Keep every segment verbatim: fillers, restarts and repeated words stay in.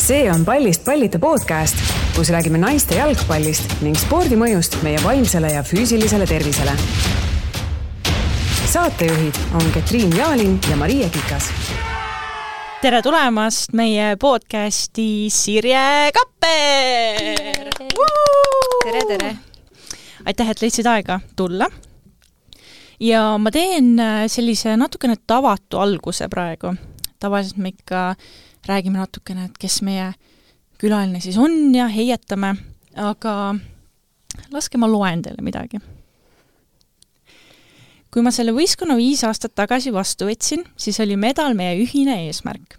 See on Pallist pallita podcast, kus räägime naiste jalgpallist ning spordi mõjust meie vaimsele ja füüsilisele tervisele. Saatejuhid on Ketriin Jaalin ja Maria Kikas. Tere tulemast meie podcasti Sirje Kapper! Tere, tere! Aitäh, et leidsid aega tulla. Ja ma teen sellise natukene tavatu alguse praegu. Tavaliselt me ikka räägime natukene, et kes meie külaline siis on ja heietame, aga laske ma loen teile midagi. Kui ma selle võistkonna viis aastat tagasi vastu võtsin, siis oli medal meie ühine eesmärk.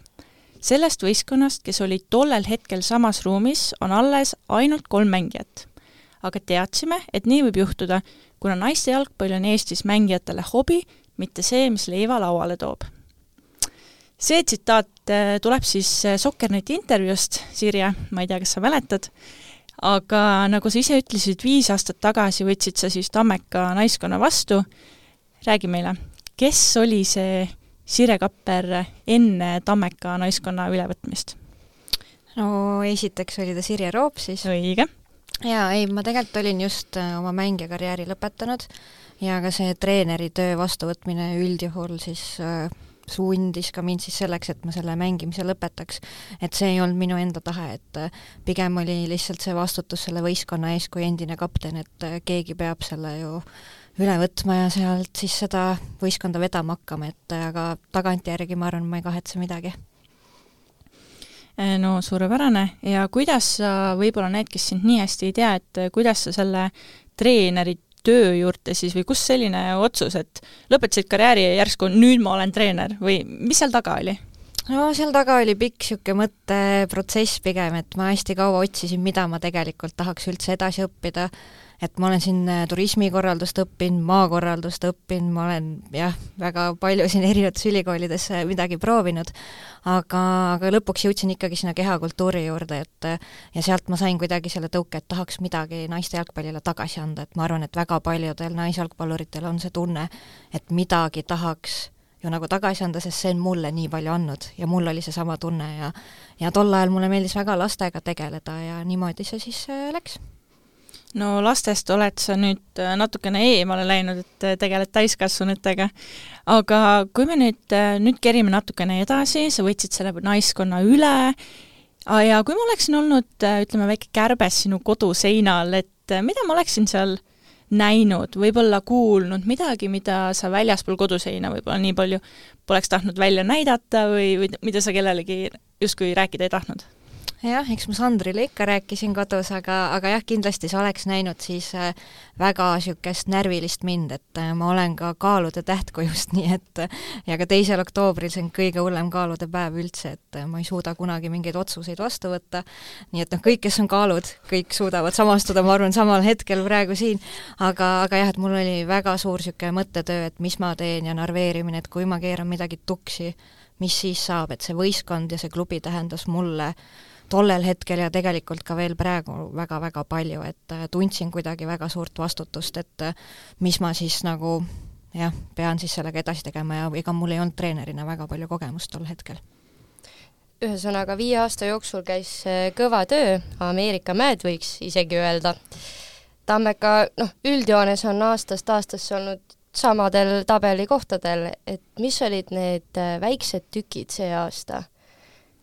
Sellest võistkonnast, kes oli tollel hetkel samas ruumis, on alles ainult kolm mängijat. Aga teadsime, et nii võib juhtuda, kuna naiste jalgpall on Eestis mängijatele hobi, mitte see, mis leiva lauale toob. See tsitaat tuleb siis Sokkerneti intervjuust, Sirje, ma ei tea, kas sa mäletad, aga nagu sa ise ütlesid, viis aastat tagasi võtsid sa siis Tammeka naiskonna vastu. Räägi meile, kes oli see Sirje Kapper enne Tammeka naiskonna ülevõtmist? No esiteks oli ta Sirje Roop siis. Õige. Ja ei, ma tegelikult olin just oma mängijakarjääri lõpetanud ja ka see treeneri töö vastuvõtmine üldjuhul siis äh, sundis ka mind siis selleks, et ma selle mängimise lõpetaks. Et see ei olnud minu enda tahe, et pigem oli lihtsalt see vastutus selle võistkonna ees kui endine kapten, et keegi peab selle ju üle võtma ja sealt siis seda võistkonda vedama hakkama, et aga tagantjärgi ma arvan, ma ei kahetse midagi. No suurepärane. Ja kuidas sa, võib-olla need, kes sind nii hästi ei tea, et kuidas sa selle treeneri töö juurde siis või kus selline otsus, et lõpetasid karjääri ja järsku nüüd ma olen treener või mis seal taga oli? No seal taga oli pikk siuke mõtteprotsess pigem, et ma hästi kaua otsisin, mida ma tegelikult tahaks üldse edasi õppida, et ma olen siin turismikorraldust õppinud, maakorraldust õppinud, ma olen jah, väga palju siin erinevates ülikoolides midagi proovinud, aga, aga lõpuks jõudsin ikkagi sinna kehakultuuri juurde, et ja sealt ma sain kuidagi selle tõuke, et tahaks midagi naiste jalgpallile tagasi anda, et ma arvan, et väga paljudel naisjalgpalluritel on see tunne, et midagi tahaks ju nagu tagasi anda, sest see on mulle nii palju andnud ja mul oli see sama tunne ja, ja tol ajal mulle meeldis väga lastega tegeleda ja niimoodi see siis läks. No lastest oled sa nüüd natukene eemale läinud, et tegeled täiskasvanutega. Aga kui me nüüd, nüüd kerime natukene edasi, sa võtsid selle naiskonna üle ja kui ma oleksin olnud, ütleme, väike kärbes sinu koduseinal, et mida ma oleksin seal näinud, võib-olla kuulnud midagi, mida sa väljaspool koduseina võib-olla nii palju poleks tahtnud välja näidata või, või mida sa kellelegi justkui rääkida ei tahtnud? Jah, eks ma Sandrile ikka rääkisin kodus, aga, aga jah, kindlasti sa oleks näinud siis väga siukest närvilist mind, et ma olen ka kaalude tähtkujust, nii et ja ka teisel oktoobril see on kõige hullem kaalude päev üldse, et ma ei suuda kunagi mingeid otsuseid vastu võtta, nii et noh, kõik, kes on kaalud, kõik suudavad samastuda, ma arvan, samal hetkel praegu siin, aga, aga jah, et mul oli väga suur siuke mõttetöö, et mis ma teen ja narveerimine, et kui ma keeran midagi tuksi, mis siis saab, et see võistkond ja see klubi tähendas mulle tollel hetkel ja tegelikult ka veel praegu väga-väga palju, et tundsin kuidagi väga suurt vastutust, et mis ma siis nagu jah, pean siis sellega edasi tegema ja ega mul ei olnud treenerina väga palju kogemust tol hetkel. Ühesõnaga viie aasta jooksul käis kõva töö, Ameerika mäed võiks isegi öelda. Tammeka, noh, üldjoones on aastast aastasse olnud samadel tabelikohtadel, et mis olid need väiksed tükid see aasta?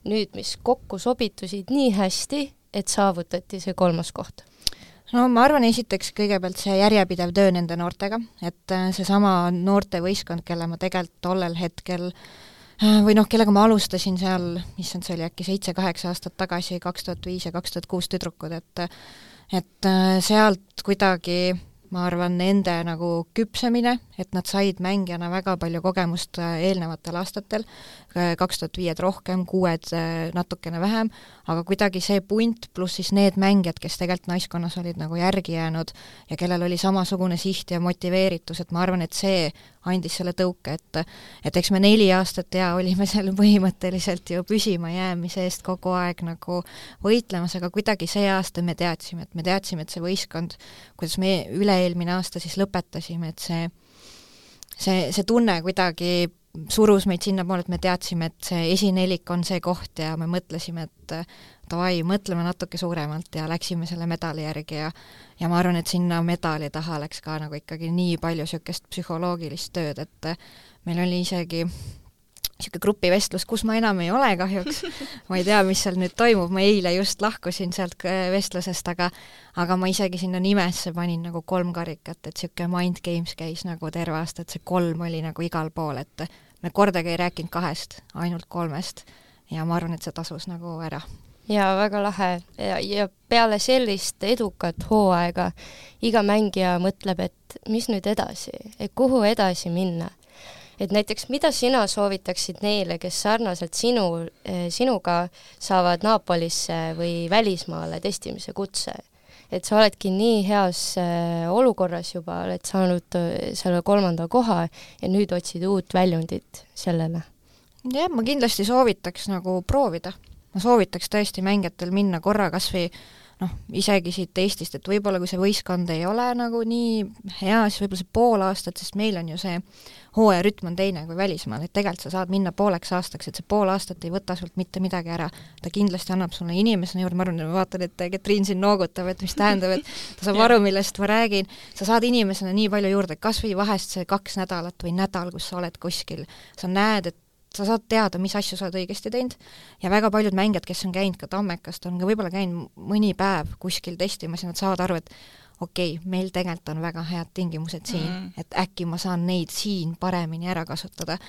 Nüüd, mis kokku sobitusid nii hästi, et saavutati see kolmas koht? No ma arvan esiteks kõigepealt see järjepidev töö nende noortega, et see sama noorte võistkond, kelle ma tegelikult tollel hetkel või noh, kellega ma alustasin seal, mis on see oli äkki seitse-kaheksa aastat tagasi, kaks tuhat viis ja kaks tuhat kuus tüdrukud, et, et sealt kuidagi ma arvan, nende nagu küpsemine, et nad said mängijana väga palju kogemust eelnevatel aastatel, kaks tuhat viied rohkem, kuued natukene vähem, aga kuidagi see punt pluss siis need mängijad, kes tegelikult naiskonnas olid nagu järgi jäänud ja kellel oli samasugune siht ja motiveeritus, et ma arvan, et see andis selle tõuke, et, et eks me neli aastat ja olime seal põhimõtteliselt ju püsima jäämise eest kogu aeg nagu võitlemas, aga kuidagi see aasta me teadsime, et me teadsime, et see võistkond, kuidas me üle-eelmine aasta siis lõpetasime, et see, see, see tunne kuidagi surus meid sinna poole, et me teadsime, et see esinelik on see koht ja me mõtlesime, et davai, mõtleme natuke suuremalt ja läksime selle medali järgi ja ja ma arvan, et sinna medali taha läks ka nagu ikkagi nii palju niisugust psühholoogilist tööd, et meil oli isegi niisugune grupivestlus, kus ma enam ei ole kahjuks, ma ei tea, mis seal nüüd toimub, ma eile just lahkusin sealt vestlusest, aga aga ma isegi sinna nimesse panin nagu kolm karikat, et niisugune Mind Games käis nagu terve aasta, et see kolm oli nagu igal pool, et me kordagi ei rääkinud kahest, ainult kolmest ja ma arvan, et see tasus nagu ära. Ja väga lahe ja, ja peale sellist edukat hooaega iga mängija mõtleb, et mis nüüd edasi, et kuhu edasi minna. Et näiteks, mida sina soovitaksid neile, kes sarnaselt sinu, sinuga saavad Napolisse või välismaale testimise kutse? Et sa oledki nii heas olukorras juba, oled saanud selle kolmanda koha ja nüüd otsid uut väljundit sellele? Jah, ma kindlasti soovitaks nagu proovida. Ma soovitaks tõesti mängijatel minna korra kas või noh, isegi siit Eestist, et võib-olla kui see võistkond ei ole nagu nii hea, siis võib-olla see pool aastat, sest meil on ju see hooaja rütm on teine kui välismaal, et tegelikult sa saad minna pooleks aastaks, et see pool aastat ei võta sult mitte midagi ära. Ta kindlasti annab sulle inimesena juurde, ma arvan, ma vaatan, et Ketriin siin noogutab, et mis tähendab, et ta saab aru, millest ma räägin. Sa saad inimesena nii palju juurde, kas või vahest see kaks nädalat või nädal, kus sa oled kuskil, sa näed, et sa saad teada, mis asju sa oled õigesti teinud ja väga paljud mängijad, kes on käinud ka Tammekast, on ka võib-olla käinud mõni päev kuskil testimas ja nad saavad aru, et okei, okay, meil tegelikult on väga head tingimused siin, mm. et äkki ma saan neid siin paremini ära kasutada.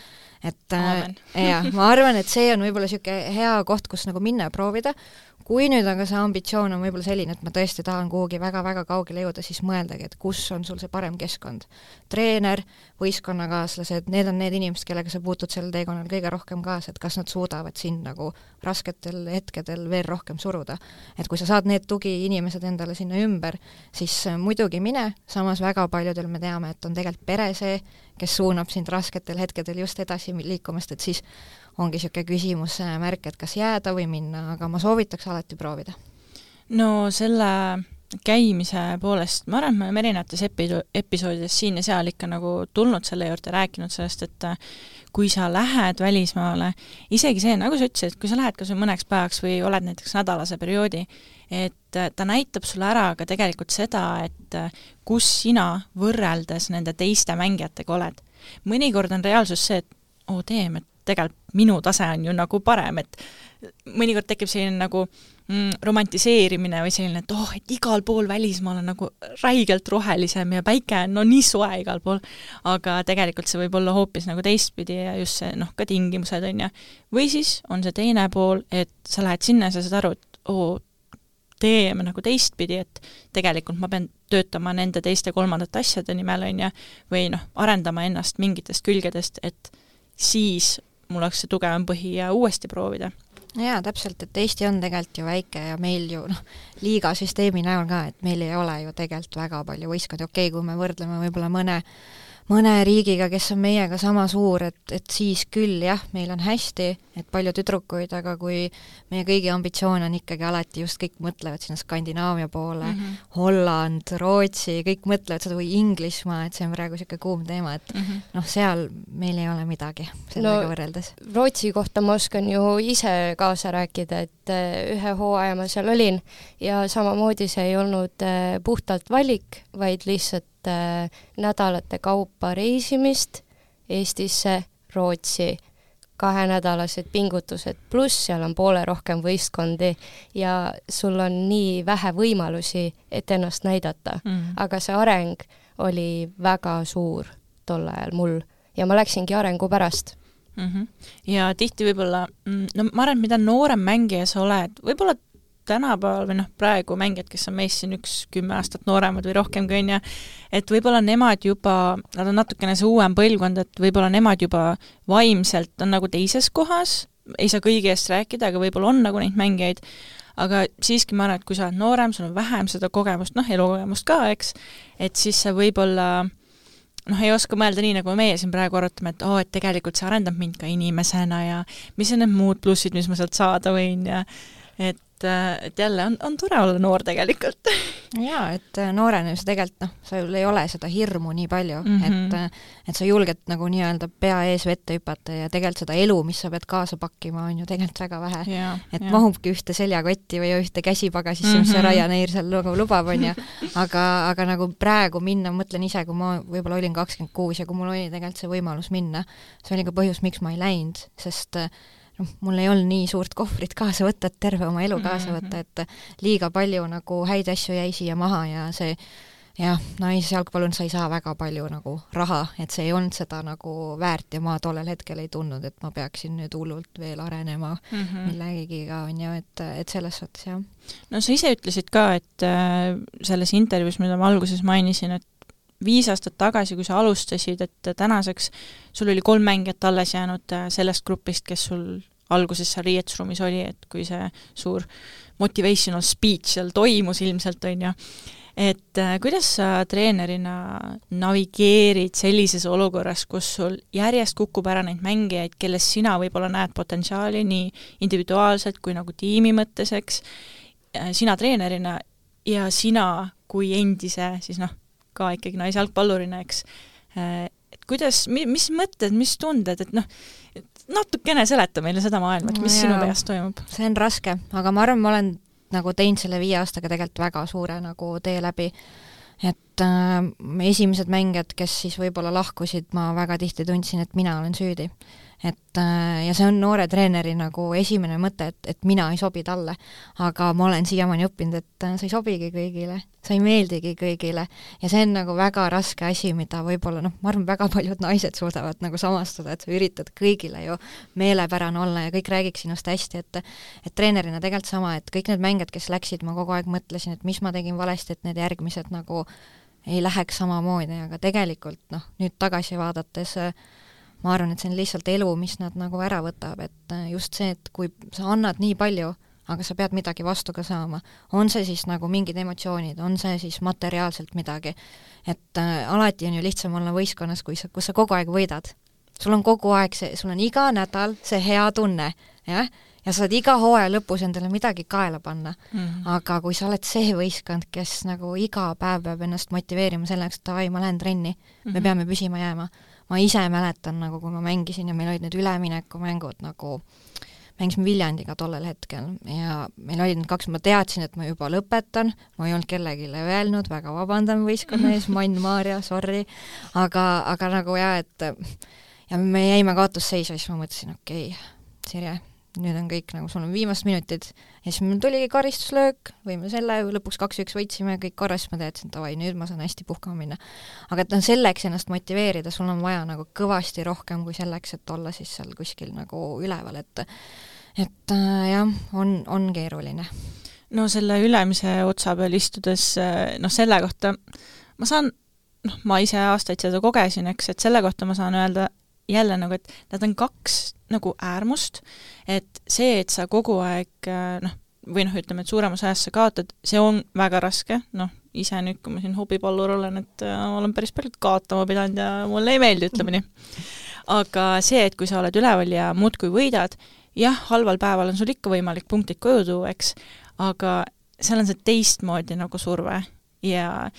Et äh, ja, ma arvan, et see on võib-olla niisugune hea koht, kus nagu minna ja proovida. Kui nüüd aga see ambitsioon on võib-olla selline, et ma tõesti tahan kuhugi väga-väga kaugele jõuda, siis mõeldagi, et kus on sul see parem keskkond. Treener, võistkonnakaaslased, need on need inimesed, kellega sa puutud sellel teekonnal kõige rohkem kaasa, et kas nad suudavad sind nagu rasketel hetkedel veel rohkem suruda. Et kui sa saad need tugi inimesed endale sinna ümber, siis muidugi mine, samas väga paljudel me teame, et on tegelikult pere see, kes suunab sind rasketel hetkedel just edasi liikumast, et siis ongi niisugune küsimus märk, et kas jääda või minna, aga ma soovitaks alati proovida. No selle käimise poolest, ma arvan, et me oleme erinevates epi- episoodides siin ja seal ikka nagu tulnud selle juurde, rääkinud sellest, et kui sa lähed välismaale, isegi see, nagu sa ütlesid, et kui sa lähed kas või mõneks päevaks või oled näiteks nädalase perioodi, et ta näitab sulle ära ka tegelikult seda, et kus sina võrreldes nende teiste mängijatega oled. Mõnikord on reaalsus see, et oo teem, et tegelikult minu tase on ju nagu parem, et mõnikord tekib selline nagu mm, romantiseerimine või selline, et oh, et igal pool välismaal on nagu räigelt rohelisem ja päike on no nii soe igal pool, aga tegelikult see võib olla hoopis nagu teistpidi ja just see noh, ka tingimused on ja või siis on see teine pool, et sa lähed sinna ja sa saad aru, et oo, teeme nagu teistpidi, et tegelikult ma pean töötama nende teiste kolmandate asjade nimel on ja või noh, arendama ennast mingitest külgedest, et siis mul oleks see tugevam põhi ja uuesti proovida. Jaa, täpselt, et Eesti on tegelikult ju väike ja meil ju noh, liigasüsteemi näol ka, et meil ei ole ju tegelikult väga palju võistkondi, okei, kui me võrdleme võib-olla mõne mõne riigiga, kes on meiega sama suur, et, et siis küll jah, meil on hästi, et palju tüdrukuid, aga kui meie kõigi ambitsioon on ikkagi alati just kõik mõtlevad sinna Skandinaavia poole, mm -hmm. Holland, Rootsi, kõik mõtlevad seda või Inglismaa, et see on praegu niisugune kuum teema, et mm -hmm. noh, seal meil ei ole midagi sellega no, võrreldes. Rootsi kohta ma oskan ju ise kaasa rääkida, et ühe hooaja ma seal olin ja samamoodi see ei olnud puhtalt valik, vaid lihtsalt nädalate kaupa reisimist Eestisse, Rootsi, kahenädalased pingutused, pluss seal on poole rohkem võistkondi ja sul on nii vähe võimalusi, et ennast näidata. Mm. Aga see areng oli väga suur tol ajal mul ja ma läksingi arengu pärast. Mm-hmm. Ja tihti võib-olla, no ma arvan, et mida noorem mängija sa oled, võib-olla tänapäeval või noh, praegu mängijad, kes on meist siin üks kümme aastat nooremad või rohkem kui on ja et võib-olla nemad juba, nad on natukene see uuem põlvkond, et võib-olla nemad juba vaimselt on nagu teises kohas, ei saa kõigi eest rääkida, aga võib-olla on nagu neid mängijaid, aga siiski ma arvan, et kui sa oled noorem, sul on vähem seda kogemust, noh, elukogemust ka, eks, et siis sa võib-olla noh, ei oska mõelda nii, nagu meie siin praegu arutame, et oo, et tegelikult see arendab mind ka inimesena ja mis on need muud plussid, mis ma sealt saada võin ja et et, et jälle on, on tore olla noor tegelikult. Jaa, et noorena sa tegelikult, noh, sul ei ole seda hirmu nii palju, mm -hmm. et, et sa julged nagu nii-öelda pea ees vette hüpata ja tegelikult seda elu, mis sa pead kaasa pakkima, on ju tegelikult väga vähe. Ja, et ja. mahubki ühte seljakotti või ühte käsipagasisse, mm -hmm. mis see Ryanair seal nagu lubab, on ju. Aga, aga nagu praegu minna, mõtlen ise, kui ma võib-olla olin kakskümmend kuus ja kui mul oli tegelikult see võimalus minna, see oli ka põhjus, miks ma ei läinud, sest noh, mul ei olnud nii suurt kohvrit kaasa võtta, et terve oma elu kaasa võtta, et liiga palju nagu häid asju jäi siia maha ja see jah, naisjalgpallun sa ei saa väga palju nagu raha, et see ei olnud seda nagu väärt ja ma tollel hetkel ei tundnud, et ma peaksin nüüd hullult veel arenema mm -hmm. millegiga, on ju, et, et selles suhtes, jah. No sa ise ütlesid ka, et äh, selles intervjuus, mida ma alguses mainisin, et viis aastat tagasi, kui sa alustasid, et tänaseks sul oli kolm mängijat alles jäänud sellest grupist, kes sul alguses seal riietusruumis oli, et kui see suur motivational speech seal toimus ilmselt, on ju. Et äh, kuidas sa treenerina navigeerid sellises olukorras, kus sul järjest kukub ära neid mängijaid, kelles sina võib-olla näed potentsiaali nii individuaalselt kui nagu tiimi mõttes, eks, sina treenerina ja sina kui endise, siis noh, ka ikkagi naisjalgpallurina, eks. Et kuidas, mis mõtted, mis tunded, et noh, natukene seleta meile seda maailma, et mis no sinu peas toimub? See on raske, aga ma arvan, ma olen nagu teinud selle viie aastaga tegelikult väga suure nagu tee läbi. Et äh, esimesed mängijad, kes siis võib-olla lahkusid, ma väga tihti tundsin, et mina olen süüdi. Et, äh, ja see on noore treeneri nagu esimene mõte, et, et mina ei sobi talle. Aga ma olen siiamaani õppinud, et äh, sa ei sobigi kõigile, sa ei meeldigi kõigile. Ja see on nagu väga raske asi, mida võib-olla, noh, ma arvan, väga paljud naised suudavad nagu samastada, et sa üritad kõigile ju meelepärane olla ja kõik räägiks sinust hästi, et, et treenerina tegelikult sama, et kõik need mängijad, kes läksid, ma kogu aeg mõtlesin, et mis ma tegin valesti, et need järgmised nagu ei läheks samamoodi, aga tegelikult noh, nüüd tagasi vaadates ma arvan, et see on lihtsalt elu, mis nad nagu ära võtab, et just see, et kui sa annad nii palju, aga sa pead midagi vastu ka saama, on see siis nagu mingid emotsioonid, on see siis materiaalselt midagi, et äh, alati on ju lihtsam olla võistkonnas, kui sa, kus sa kogu aeg võidad. Sul on kogu aeg see, sul on iga nädal see hea tunne, jah, ja sa saad iga hooaja lõpus endale midagi kaela panna. Mm -hmm. Aga kui sa oled see võistkond, kes nagu iga päev peab ennast motiveerima selleks, et davai, ma lähen trenni, mm -hmm. me peame püsima jääma. Ma ise mäletan, nagu kui ma mängisin ja meil olid need üleminekumängud, nagu mängisime Viljandiga tollel hetkel ja meil olid need kaks, ma teadsin, et ma juba lõpetan, ma ei olnud kellegile öelnud, väga vabandan võistkonna ees, Mann, Maarja, sorry, aga, aga nagu jah, et ja me jäime kaotusseisu ja siis ma mõtlesin, okei okay,, Sirje, nüüd on kõik nagu, sul on viimased minutid ja siis meil tuligi karistuslöök, võime selle, lõpuks kaks-üks võitsime, kõik korras, ma teadsin, et davai, nüüd ma saan hästi puhkama minna. Aga et on selleks ennast motiveerida, sul on vaja nagu kõvasti rohkem kui selleks, et olla siis seal kuskil nagu üleval, et et äh, jah, on, on keeruline. No selle ülemise otsa peal istudes, noh selle kohta ma saan, noh ma ise aastaid seda kogesin, eks, et selle kohta ma saan öelda jälle nagu, et nad on kaks nagu äärmust, et see, et sa kogu aeg noh, või noh, ütleme, et suuremas ajast sa kaotad, see on väga raske, noh, ise nüüd, kui ma siin hobipallur olen, et äh, olen päris palju kaotama pidanud ja mulle ei meeldi, ütleme nii. Aga see, et kui sa oled üleval ja muudkui võidad, jah, halval päeval on sul ikka võimalik punktid koju tuua, eks, aga seal on see teistmoodi nagu surve ja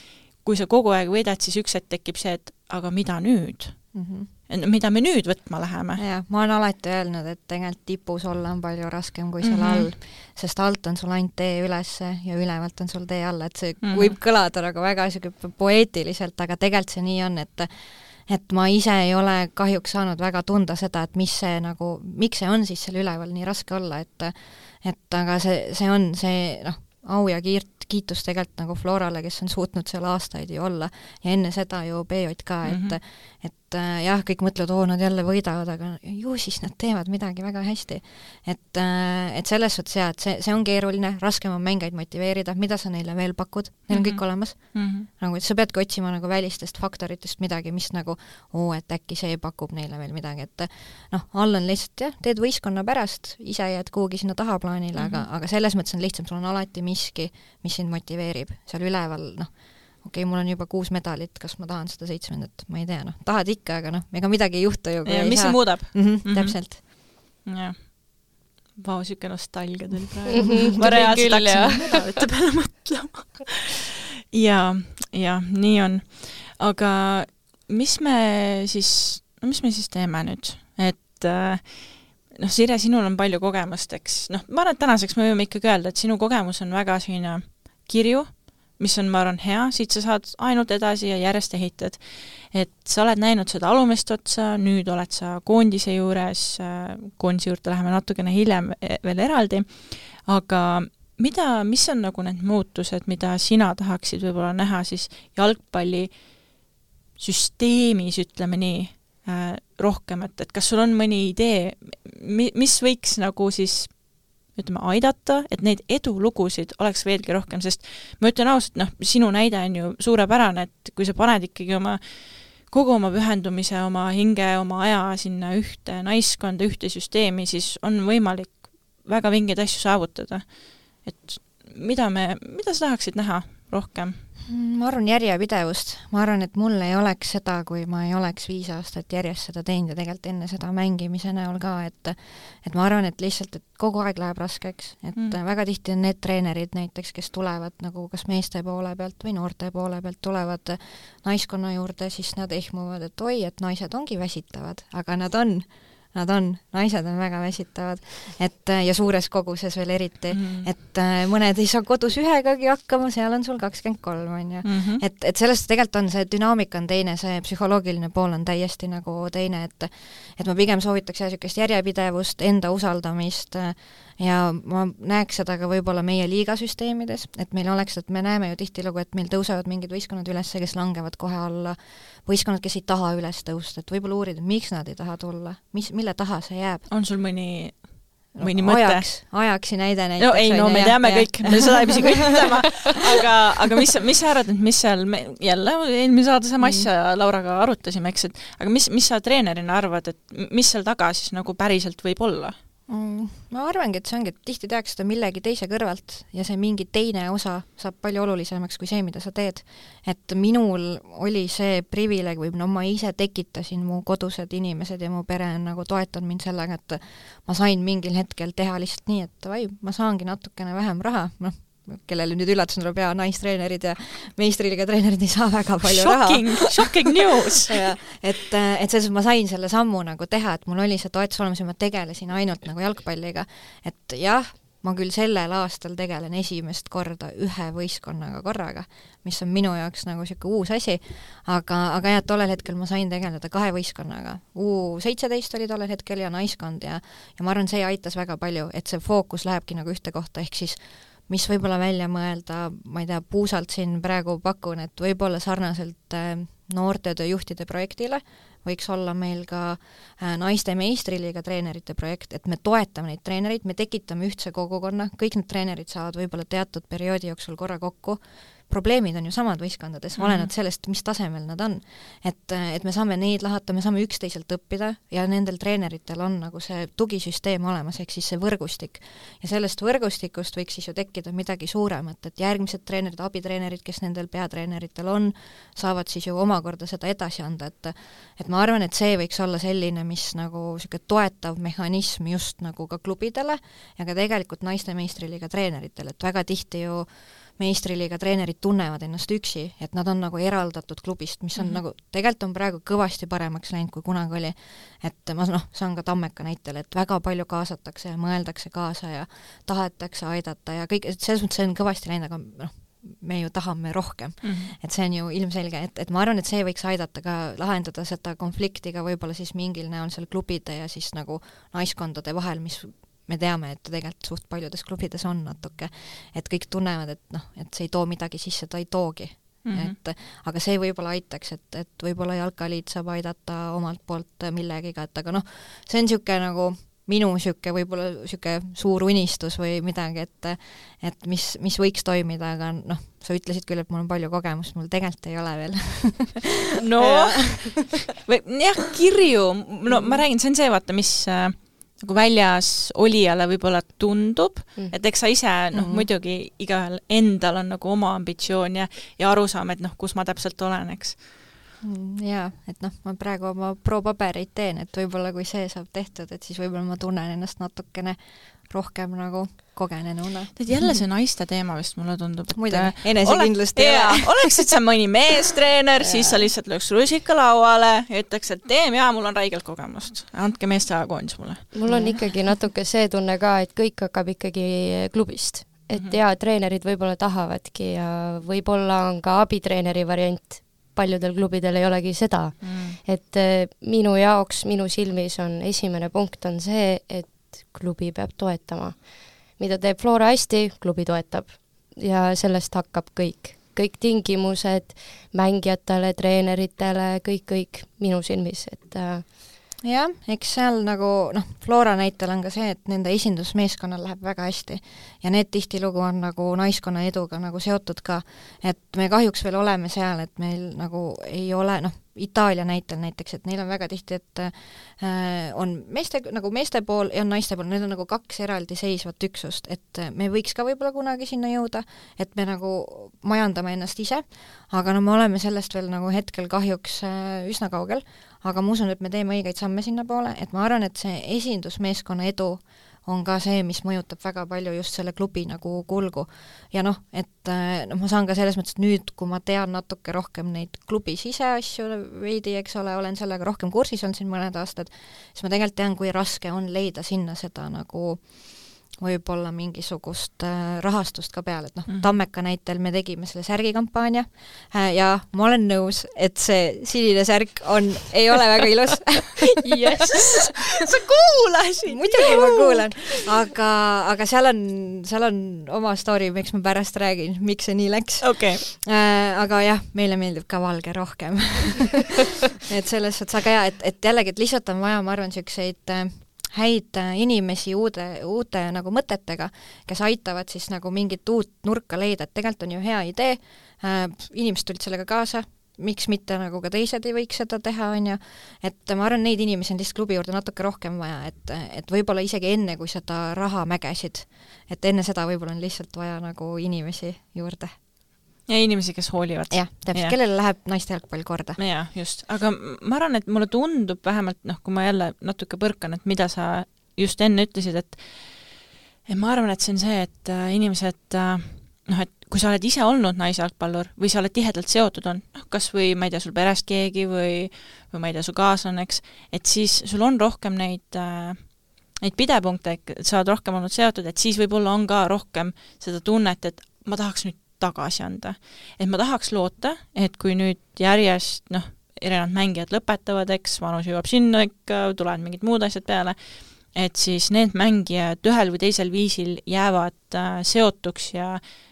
kui sa kogu aeg võidad, siis üks hetk tekib see, et aga mida nüüd? Mm -hmm. mida me nüüd võtma läheme? Ja, ma olen alati öelnud, et tegelikult tipus olla on palju raskem kui seal mm -hmm. all, sest alt on sul ainult tee ülesse ja ülevalt on sul tee alla, et see mm -hmm. võib kõlada nagu väga poeetiliselt, aga tegelikult see nii on, et et ma ise ei ole kahjuks saanud väga tunda seda, et mis see nagu, miks see on siis seal üleval nii raske olla, et et aga see, see on see noh, au ja kiirt, kiitus tegelikult nagu Florale, kes on suutnud seal aastaid ju olla ja enne seda ju B J ka, et mm -hmm. et jah, kõik mõtlevad, oo, nad jälle võidavad, aga ju siis nad teevad midagi väga hästi. Et, et selles suhtes jah, et see, see on keeruline, raskem on mängeid motiveerida, mida sa neile veel pakud, neil on mm -hmm. kõik olemas. Mm -hmm. Nagu, et sa peadki otsima nagu välistest faktoritest midagi, mis nagu, oo, et äkki see pakub neile veel midagi, et noh, all on lihtsalt jah, teed võistkonna pärast, ise jääd kuhugi sinna tahaplaanile mm, -hmm. aga, aga selles mõttes on lihtsam, sul on alati miski, mis sind motiveerib, seal üleval, noh, okei okay,, mul on juba kuus medalit, kas ma tahan seda seitsmendat, ma ei tea, noh, tahad ikka, aga noh, ega midagi ei juhtu ju. Ja, mis see muudab? Mm -hmm, mm -hmm. Täpselt. Jah. Vau, siuke nostalgia tuli praegu. Ma reaalselt hakkasin nädalate peale mõtlema. ja, ja nii on. Aga mis me siis, no mis me siis teeme nüüd? Et noh, Sirje, sinul on palju kogemust, eks. Noh, ma arvan, et tänaseks me võime ikkagi öelda, et sinu kogemus on väga selline kirju, mis on, ma arvan, hea, siit sa saad ainult edasi ja järjest ehitad. Et sa oled näinud seda alumist otsa, nüüd oled sa koondise juures, koondise juurde läheme natukene hiljem veel eraldi, aga mida, mis on nagu need muutused, mida sina tahaksid võib-olla näha siis jalgpalli süsteemis, ütleme nii, rohkem, et, et kas sul on mõni idee, mis võiks nagu siis ütleme, aidata, et neid edulugusid oleks veelgi rohkem, sest ma ütlen ausalt, noh, sinu näide on ju suurepärane, et kui sa paned ikkagi oma kogu oma pühendumise, oma hinge, oma aja sinna ühte naiskonda, ühte süsteemi, siis on võimalik väga vingeid asju saavutada. Et mida me, mida sa tahaksid näha rohkem? Ma arvan järjepidevust. Ma arvan, et mul ei oleks seda, kui ma ei oleks viis aastat järjest seda teinud ja tegelikult enne seda mängimise näol ka, et et ma arvan, et lihtsalt, et kogu aeg läheb raskeks, et mm. väga tihti on need treenerid näiteks, kes tulevad nagu kas meeste poole pealt või noorte poole pealt tulevad naiskonna juurde, siis nad ehmuvad, et oi, et naised ongi väsitavad, aga nad on Nad on, naised on väga väsitavad, et ja suures koguses veel eriti, mm. et mõned ei saa kodus ühegagi hakkama, seal on sul kakskümmend kolm, on ju. Mm -hmm. Et, et sellest tegelikult on see dünaamika on teine, see psühholoogiline pool on täiesti nagu teine, et et ma pigem soovitaks sellist järjepidevust, enda usaldamist ja ma näeks seda ka võib-olla meie liigasüsteemides, et meil oleks, et me näeme ju tihtilugu, et meil tõusevad mingid võistkonnad üles, kes langevad kohe alla, võistkonnad, kes ei taha üles tõusta, et võib-olla uurida, miks nad ei taha tulla, mis, mille taha see jääb. On sul mõni, mõni no, mõte? Ajaks, ajaksi näide näiteks. No ei, no me teame ja, kõik, me seda ei pisi kõik ütlema, aga, aga mis, mis sa arvad, et mis seal, me, jälle eelmine saada sama asja mm. Lauraga arutasime, eks, et aga mis, mis sa treenerina arvad, et mis seal taga siis nagu päriselt võib olla? Mm, ma arvangi, et see ongi, et tihti tehakse seda millegi teise kõrvalt ja see mingi teine osa saab palju olulisemaks kui see, mida sa teed. Et minul oli see privileeg või no ma ise tekitasin, mu kodused inimesed ja mu pere on nagu toetanud mind sellega, et ma sain mingil hetkel teha lihtsalt nii, et vai, ma saangi natukene vähem raha, noh, kellele nüüd üllatus tuleb ja naistreenerid ja meistriliiga treenerid ei saa väga palju shocking, raha. Shocking news! et, et selles ma sain selle sammu nagu teha, et mul oli see toetus olemas ja ma tegelesin ainult nagu jalgpalliga. Et jah, ma küll sellel aastal tegelen esimest korda ühe võistkonnaga korraga, mis on minu jaoks nagu siuke uus asi, aga, aga jah, tollel hetkel ma sain tegeleda kahe võistkonnaga. U seitseteist oli tollel hetkel ja naiskond ja, ja ma arvan, see aitas väga palju, et see fookus lähebki nagu ühte kohta, ehk siis mis võib-olla välja mõelda, ma ei tea, puusalt siin praegu pakun, et võib-olla sarnaselt noortetöö juhtide projektile võiks olla meil ka naiste meistriliiga treenerite projekt, et me toetame neid treenereid, me tekitame ühtse kogukonna, kõik need treenerid saavad võib-olla teatud perioodi jooksul korra kokku, probleemid on ju samad võistkondades, olenevalt sellest, mis tasemel nad on. Et, et me saame neid lahata, me saame üksteiselt õppida ja nendel treeneritel on nagu see tugisüsteem olemas, ehk siis see võrgustik. Ja sellest võrgustikust võiks siis ju tekkida midagi suuremat, et järgmised treenerid, abitreenerid, kes nendel peatreeneritel on, saavad siis ju omakorda seda edasi anda, et et ma arvan, et see võiks olla selline, mis nagu siuke toetav mehhanism just nagu ka klubidele ja ka tegelikult naiste meistriliiga treeneritel, et väga tihti ju meistriliiga treenerid tunnevad ennast üksi, et nad on nagu eraldatud klubist, mis on mm -hmm. nagu, tegelikult on praegu kõvasti paremaks läinud, kui kunagi oli. Et ma noh, saan ka Tammeka näitel, et väga palju kaasatakse ja mõeldakse kaasa ja tahetakse aidata ja kõik, et selles mõttes see on kõvasti läinud, aga noh, me ju tahame rohkem. Mm -hmm. Et see on ju ilmselge, et, et ma arvan, et see võiks aidata ka lahendada seda konflikti ka võib-olla siis mingil näol seal klubide ja siis nagu naiskondade vahel, mis me teame, et tegelikult suht paljudes klubides on natuke, et kõik tunnevad, et noh, et see ei too midagi sisse, ta ei toogi. Mm -hmm. et, aga see võib-olla aitaks, et, et võib-olla Jalkaliit saab aidata omalt poolt millegiga, et aga noh, see on niisugune nagu minu niisugune võib-olla niisugune suur unistus või midagi, et et mis, mis võiks toimida, aga noh, sa ütlesid küll, et mul on palju kogemust, mul tegelikult ei ole veel. no, või jah, kirju, no ma räägin, see on see, vaata, mis nagu väljas olijale võib-olla tundub, mm. et eks sa ise, noh, mm. muidugi igaühel endal on nagu oma ambitsioon ja, ja arusaam, et noh, kus ma täpselt olen, eks. Jaa, et noh, ma praegu oma pro-pabereid teen, et võib-olla kui see saab tehtud, et siis võib-olla ma tunnen ennast natukene rohkem nagu kogenenuna. Tead jälle see naiste teema vist mulle tundub, et muidugi, enesekindlust ei ole. Oleksid sa mõni meestreener, siis sa lihtsalt lööks rusika lauale ja ütleks, et teem ja mul on räigelt kogemust. Andke meeste ajakoondis mulle. Mul on ikkagi natuke see tunne ka, et kõik hakkab ikkagi klubist. Et mm -hmm. ja treenerid võib-olla tahavadki ja võib-olla on ka abitreeneri variant. Paljudel klubidel ei olegi seda. Mm. Et minu jaoks, minu silmis on esimene punkt on see, et klubi peab toetama. Mida teeb Flora hästi, klubi toetab. Ja sellest hakkab kõik. Kõik tingimused mängijatele, treeneritele, kõik, kõik minu silmis. Et, äh... jah, eks seal nagu, noh, Flora näitel on ka see, et nende esindusmeeskonnal läheb väga hästi. Ja need tihtilugu on nagu naiskonna eduga nagu seotud ka. Et me kahjuks veel oleme seal, et meil nagu ei ole, noh, Itaalia näitel näiteks, et neil on väga tihti, et äh, on meeste, nagu meeste pool ja naiste pool, need on nagu kaks eraldi seisvat üksust, et me võiks ka võib-olla kunagi sinna jõuda, et me nagu majandame ennast ise, aga no me oleme sellest veel nagu hetkel kahjuks äh, üsna kaugel, aga ma usun, et me teeme õigeid samme sinna poole, et ma arvan, et see esindusmeeskonna edu on ka see, mis mõjutab väga palju just selle klubi nagu kulgu. Ja noh, et noh, ma saan ka selles mõttes, et nüüd, kui ma tean natuke rohkem neid klubi siseasju veidi, eks ole, olen sellega rohkem kursis olnud siin mõned aastad, siis ma tegelikult tean, kui raske on leida sinna seda nagu võib-olla mingisugust äh, rahastust ka peale, et noh, mm. Tammeka näitel me tegime selle särgikampaania äh, ja ma olen nõus, et see sinine särk on, ei ole väga ilus. Yes. Sa kuulasid! Muidugi ma kuulan, aga, aga seal on, seal on oma story, miks ma pärast räägin, miks see nii läks. Okay. Äh, aga jah, meile meeldib ka valge rohkem. Et selles suhtes, aga jah, et, et jällegi, et lihtsalt on vaja, ma arvan, selliseid äh, häid inimesi uude, uute nagu mõtetega, kes aitavad siis nagu mingit uut nurka leida, et tegelikult on ju hea idee, äh, inimesed tulid sellega kaasa, miks mitte nagu ka teised ei võiks seda teha, on ju, et ma arvan, neid inimesi on lihtsalt klubi juurde natuke rohkem vaja, et, et võib-olla isegi enne, kui seda raha mägesid, et enne seda võib-olla on lihtsalt vaja nagu inimesi juurde. Ja inimesi, kes hoolivad. Jah, täpselt, kellele läheb naiste jalgpall korda. Jah, just. Aga ma arvan, et mulle tundub vähemalt, noh, kui ma jälle natuke põrkan, et mida sa just enne ütlesid, et, et ma arvan, et see on see, et äh, inimesed, äh, noh, et kui sa oled ise olnud naisjalgpallur või sa oled tihedalt seotud on, noh, kas või, ma ei tea, sul perest keegi või, või ma ei tea, su kaaslanneks, et siis sul on rohkem neid, äh, neid pidepunkte, et sa oled rohkem olnud seotud, et siis võib-olla on ka rohkem seda tunnet, et ma tahaks nüüd tagasi anda. Et ma tahaks loota, et kui nüüd järjest, noh, erinevad mängijad lõpetavad, eks, vanus jõuab sinna ikka, tulevad mingid muud asjad peale, et siis need mängijad ühel või teisel viisil jäävad äh, seotuks ja,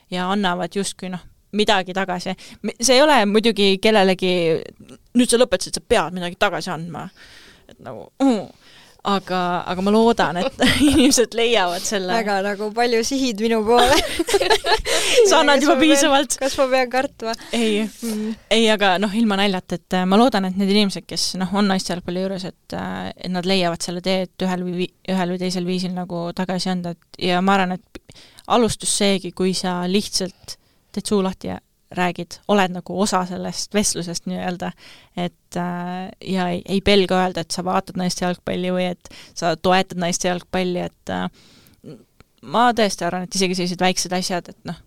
ja annavad justkui, noh, midagi tagasi. See ei ole muidugi kellelegi, nüüd sa lõpetasid, sa pead midagi tagasi andma. Et nagu, uh, aga, aga ma loodan, et inimesed leiavad selle. Väga nagu palju sihid minu poole. Sa annad juba piisavalt. Kas ma pean kartma? Ei, mm. ei, aga noh, ilma näljat, et ma loodan, et need inimesed, kes noh, on naiste jalgpalli juures, et, et nad leiavad selle tee, et ühel või, ühel või teisel viisil nagu tagasi anda. Ja ma arvan, et alustus seegi, kui sa lihtsalt teed suu lahti ja räägid, oled nagu osa sellest vestlusest nii-öelda, et äh, ja ei, ei pelga öelda, et sa vaatad naiste jalgpalli või et sa toetad naiste jalgpalli, et äh, ma tõesti arvan, et isegi sellised väiksed asjad, et noh,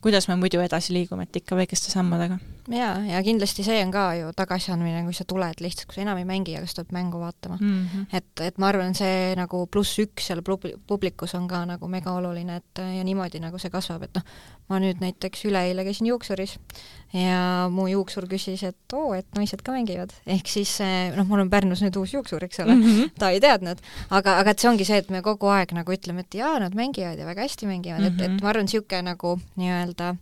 kuidas me muidu edasi liigume, et ikka väikeste sammadega. Jaa, ja kindlasti see on ka ju tagasiandmine, kui sa tuled lihtsalt, kui sa enam ei mängi, aga sa tuled mängu vaatama. Mm -hmm. et, et ma arvan, see nagu pluss üks seal publikus on ka nagu mega oluline, et ja niimoodi nagu see kasvab, et noh, ma nüüd näiteks üleeile käisin juuksuris ja mu juuksur küsis, et oo, et naised ka mängivad. Ehk siis, noh, mul on Pärnus nüüd uus juuksur, eks ole, mm -hmm. ta ei teadnud, aga, aga et see ongi see, et me kogu aeg nagu ütleme, et jaa, nad mängivad ja väga hästi mängivad, mm -hmm. et, et ma arvan, siuke nagu nii-öelda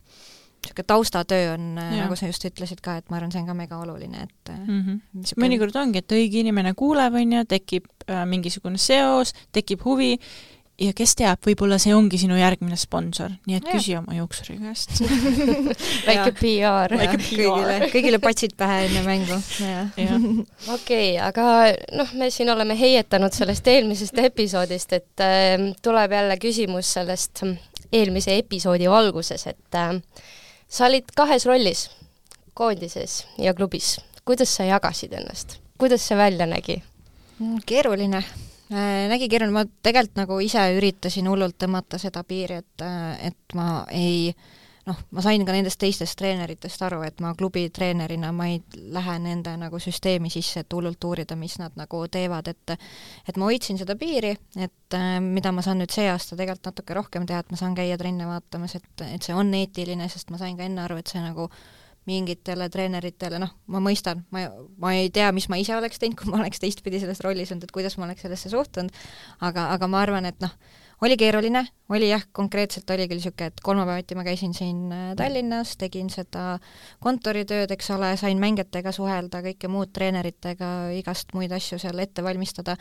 siuke taustatöö on, ja. Nagu sa just ütlesid ka, et ma arvan, see on ka mega oluline, et mm -hmm. siuke... mõnikord ongi, et õige inimene kuuleb, on ju, tekib äh, mingisugune seos, tekib huvi ja kes teab, võib-olla see ongi sinu järgmine sponsor, nii et ja. Küsi oma juuksuri käest. Väike P R. Kõigile, kõigile patsid pähe enne mängu. Okei, aga noh, me siin oleme heietanud sellest eelmisest episoodist, et äh, tuleb jälle küsimus sellest eelmise episoodi valguses, et äh, sa olid kahes rollis, koondises ja klubis. Kuidas sa jagasid ennast? Kuidas see välja nägi? Keeruline. nägi keeruline, ma tegelikult nagu ise üritasin hullult tõmmata seda piiri, et, et ma ei noh, ma sain ka nendest teistest treeneritest aru, et ma klubi treenerina ma ei lähe nende nagu süsteemi sisse, et hullult uurida, mis nad nagu teevad, et et ma hoidsin seda piiri, et mida ma saan nüüd see aasta tegelikult natuke rohkem teha, et ma saan käia trenne vaatamas, et, et see on eetiline, sest ma sain ka enne aru, et see nagu mingitele treeneritele, noh, ma mõistan, ma, ma ei tea, mis ma ise oleks teinud, kui ma oleks teistpidi selles rollis olnud, et kuidas ma oleks sellesse suhtunud, aga, aga ma arvan, et noh, oli keeruline, oli jah, konkreetselt oli küll niisugune, et kolmapäevati ma käisin siin Tallinnas, tegin seda kontoritööd, eks ole, sain mängijatega suhelda, kõike muud treeneritega, igast muid asju seal ette valmistada,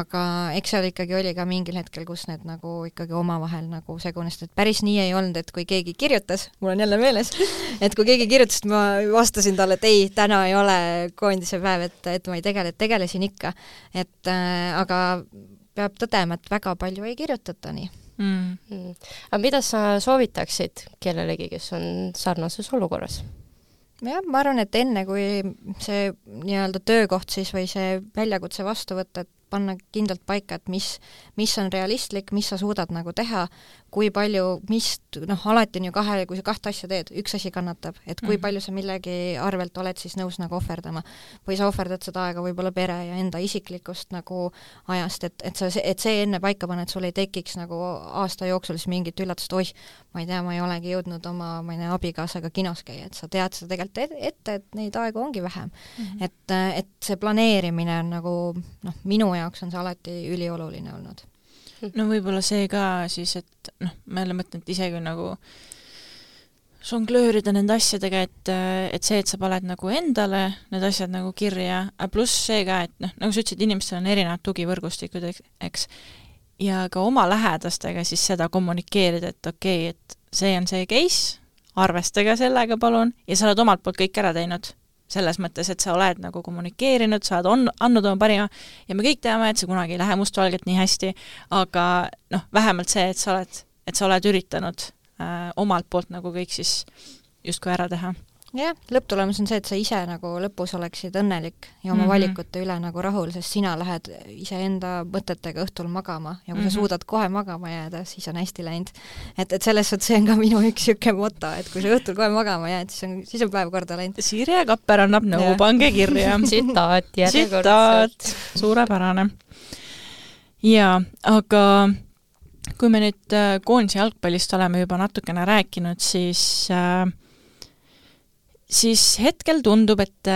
aga eks seal ikkagi oli ka mingil hetkel, kus need nagu ikkagi omavahel nagu segunesid, et päris nii ei olnud, et kui keegi kirjutas, mul on jälle meeles, et kui keegi kirjutas, ma vastasin talle, et ei, täna ei ole koondise päev, et, et ma ei tegele, et tegelesin ikka, et äh, aga peab tõdema, et väga palju ei kirjutata nii. Mm. Mm. Aga mida sa soovitaksid kellelegi, kes on sarnases olukorras? Jah, ma arvan, et enne kui see nii-öelda töökoht siis või see väljakutse vastu võtta, et panna kindlalt paika, et mis, mis on realistlik, mis sa suudad nagu teha, kui palju, mis, noh, alati on ju kahe, kui sa kahte asja teed, üks asi kannatab, et kui mm. palju sa millegi arvelt oled siis nõus nagu ohverdama. Või sa ohverdad seda aega võib-olla pere ja enda isiklikust nagu ajast, et, et, sa, et see enne paika panna, et sul ei tekiks nagu aasta jooksul siis mingit üllatust, oih, ma ei tea, ma ei olegi jõudnud oma, ma ei tea, abikaasaga kinos käia, et sa tead seda tegelikult ette, et neid aegu ongi vähem. Mm. Et, et see planeerimine on nagu, noh, minu jaoks on see alati ülioluline olnud. No võib-olla see ka siis, et noh, ma jälle mõtlen, et isegi nagu žonglöörida nende asjadega, et, et see, et sa paned nagu endale need asjad nagu kirja, pluss see ka, et noh, nagu sa ütlesid, inimestel on erinevad tugivõrgustikud, eks, ja ka oma lähedastega siis seda kommunikeerida, et okei, okay, et see on see case, arvestage sellega palun, ja sa oled omalt poolt kõik ära teinud. Selles mõttes, et sa oled nagu kommunikeerinud, sa oled on, andnud oma parima ja me kõik teame, et see kunagi ei lähe mustvalgelt nii hästi, aga noh, vähemalt see, et sa oled, et sa oled üritanud äh, omalt poolt nagu kõik siis justkui ära teha. Jah, lõpptulemus on see, et sa ise nagu lõpus oleksid õnnelik ja oma mm -hmm. valikute üle nagu rahul, sest sina lähed iseenda mõtetega õhtul magama ja kui mm -hmm. sa suudad kohe magama jääda, siis on hästi läinud. Et, et selles suhtes see on ka minu üks siuke moto, et kui sa õhtul kohe magama jääd, siis on, siis on päev korda läinud. Sirje Kapper annab nõu, pange kirja. Tsitaat järjekordselt. Suurepärane. Jaa, aga kui me nüüd koondise jalgpallist oleme juba natukene rääkinud, siis äh, siis hetkel tundub, et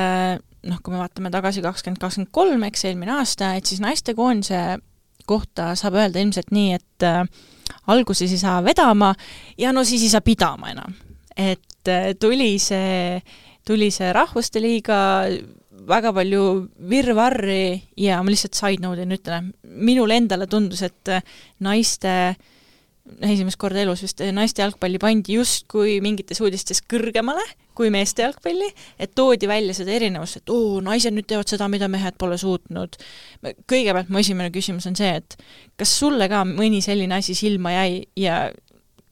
noh, kui me vaatame tagasi kakskümmend kakskümmend kolm, eks eelmine aasta, et siis naiste koondise kohta saab öelda ilmselt nii, et äh, alguses ei saa vedama ja no siis ei saa pidama enam. Et äh, tuli see, tuli see rahvuste liiga, väga palju virvarri ja ma lihtsalt side note'in ütlen, minule endale tundus, et naiste esimest korda elus vist naiste jalgpalli pandi justkui mingites uudistes kõrgemale kui meeste jalgpalli, et toodi välja seda erinevust, et oo, naised nüüd teevad seda, mida mehed pole suutnud. Kõigepealt mu esimene küsimus on see, et kas sulle ka mõni selline asi silma jäi ja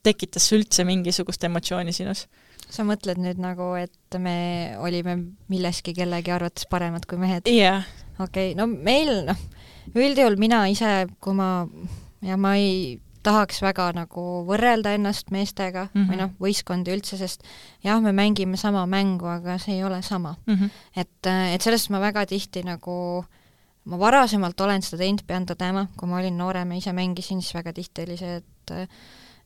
tekitas üldse mingisugust emotsiooni sinus? Sa mõtled nüüd nagu, et me olime milleski kellegi arvates paremad kui mehed? Jah. Yeah. Okei, okay, no meil, noh, üldjuhul mina ise, kui ma, ja ma ei tahaks väga nagu võrrelda ennast meestega mm -hmm. või noh, võistkondi üldse, sest jah, me mängime sama mängu, aga see ei ole sama mm. -hmm. Et, et sellest ma väga tihti nagu, ma varasemalt olen seda teinud, pean tõdema, kui ma olin noorem ja ise mängisin, siis väga tihti oli see, et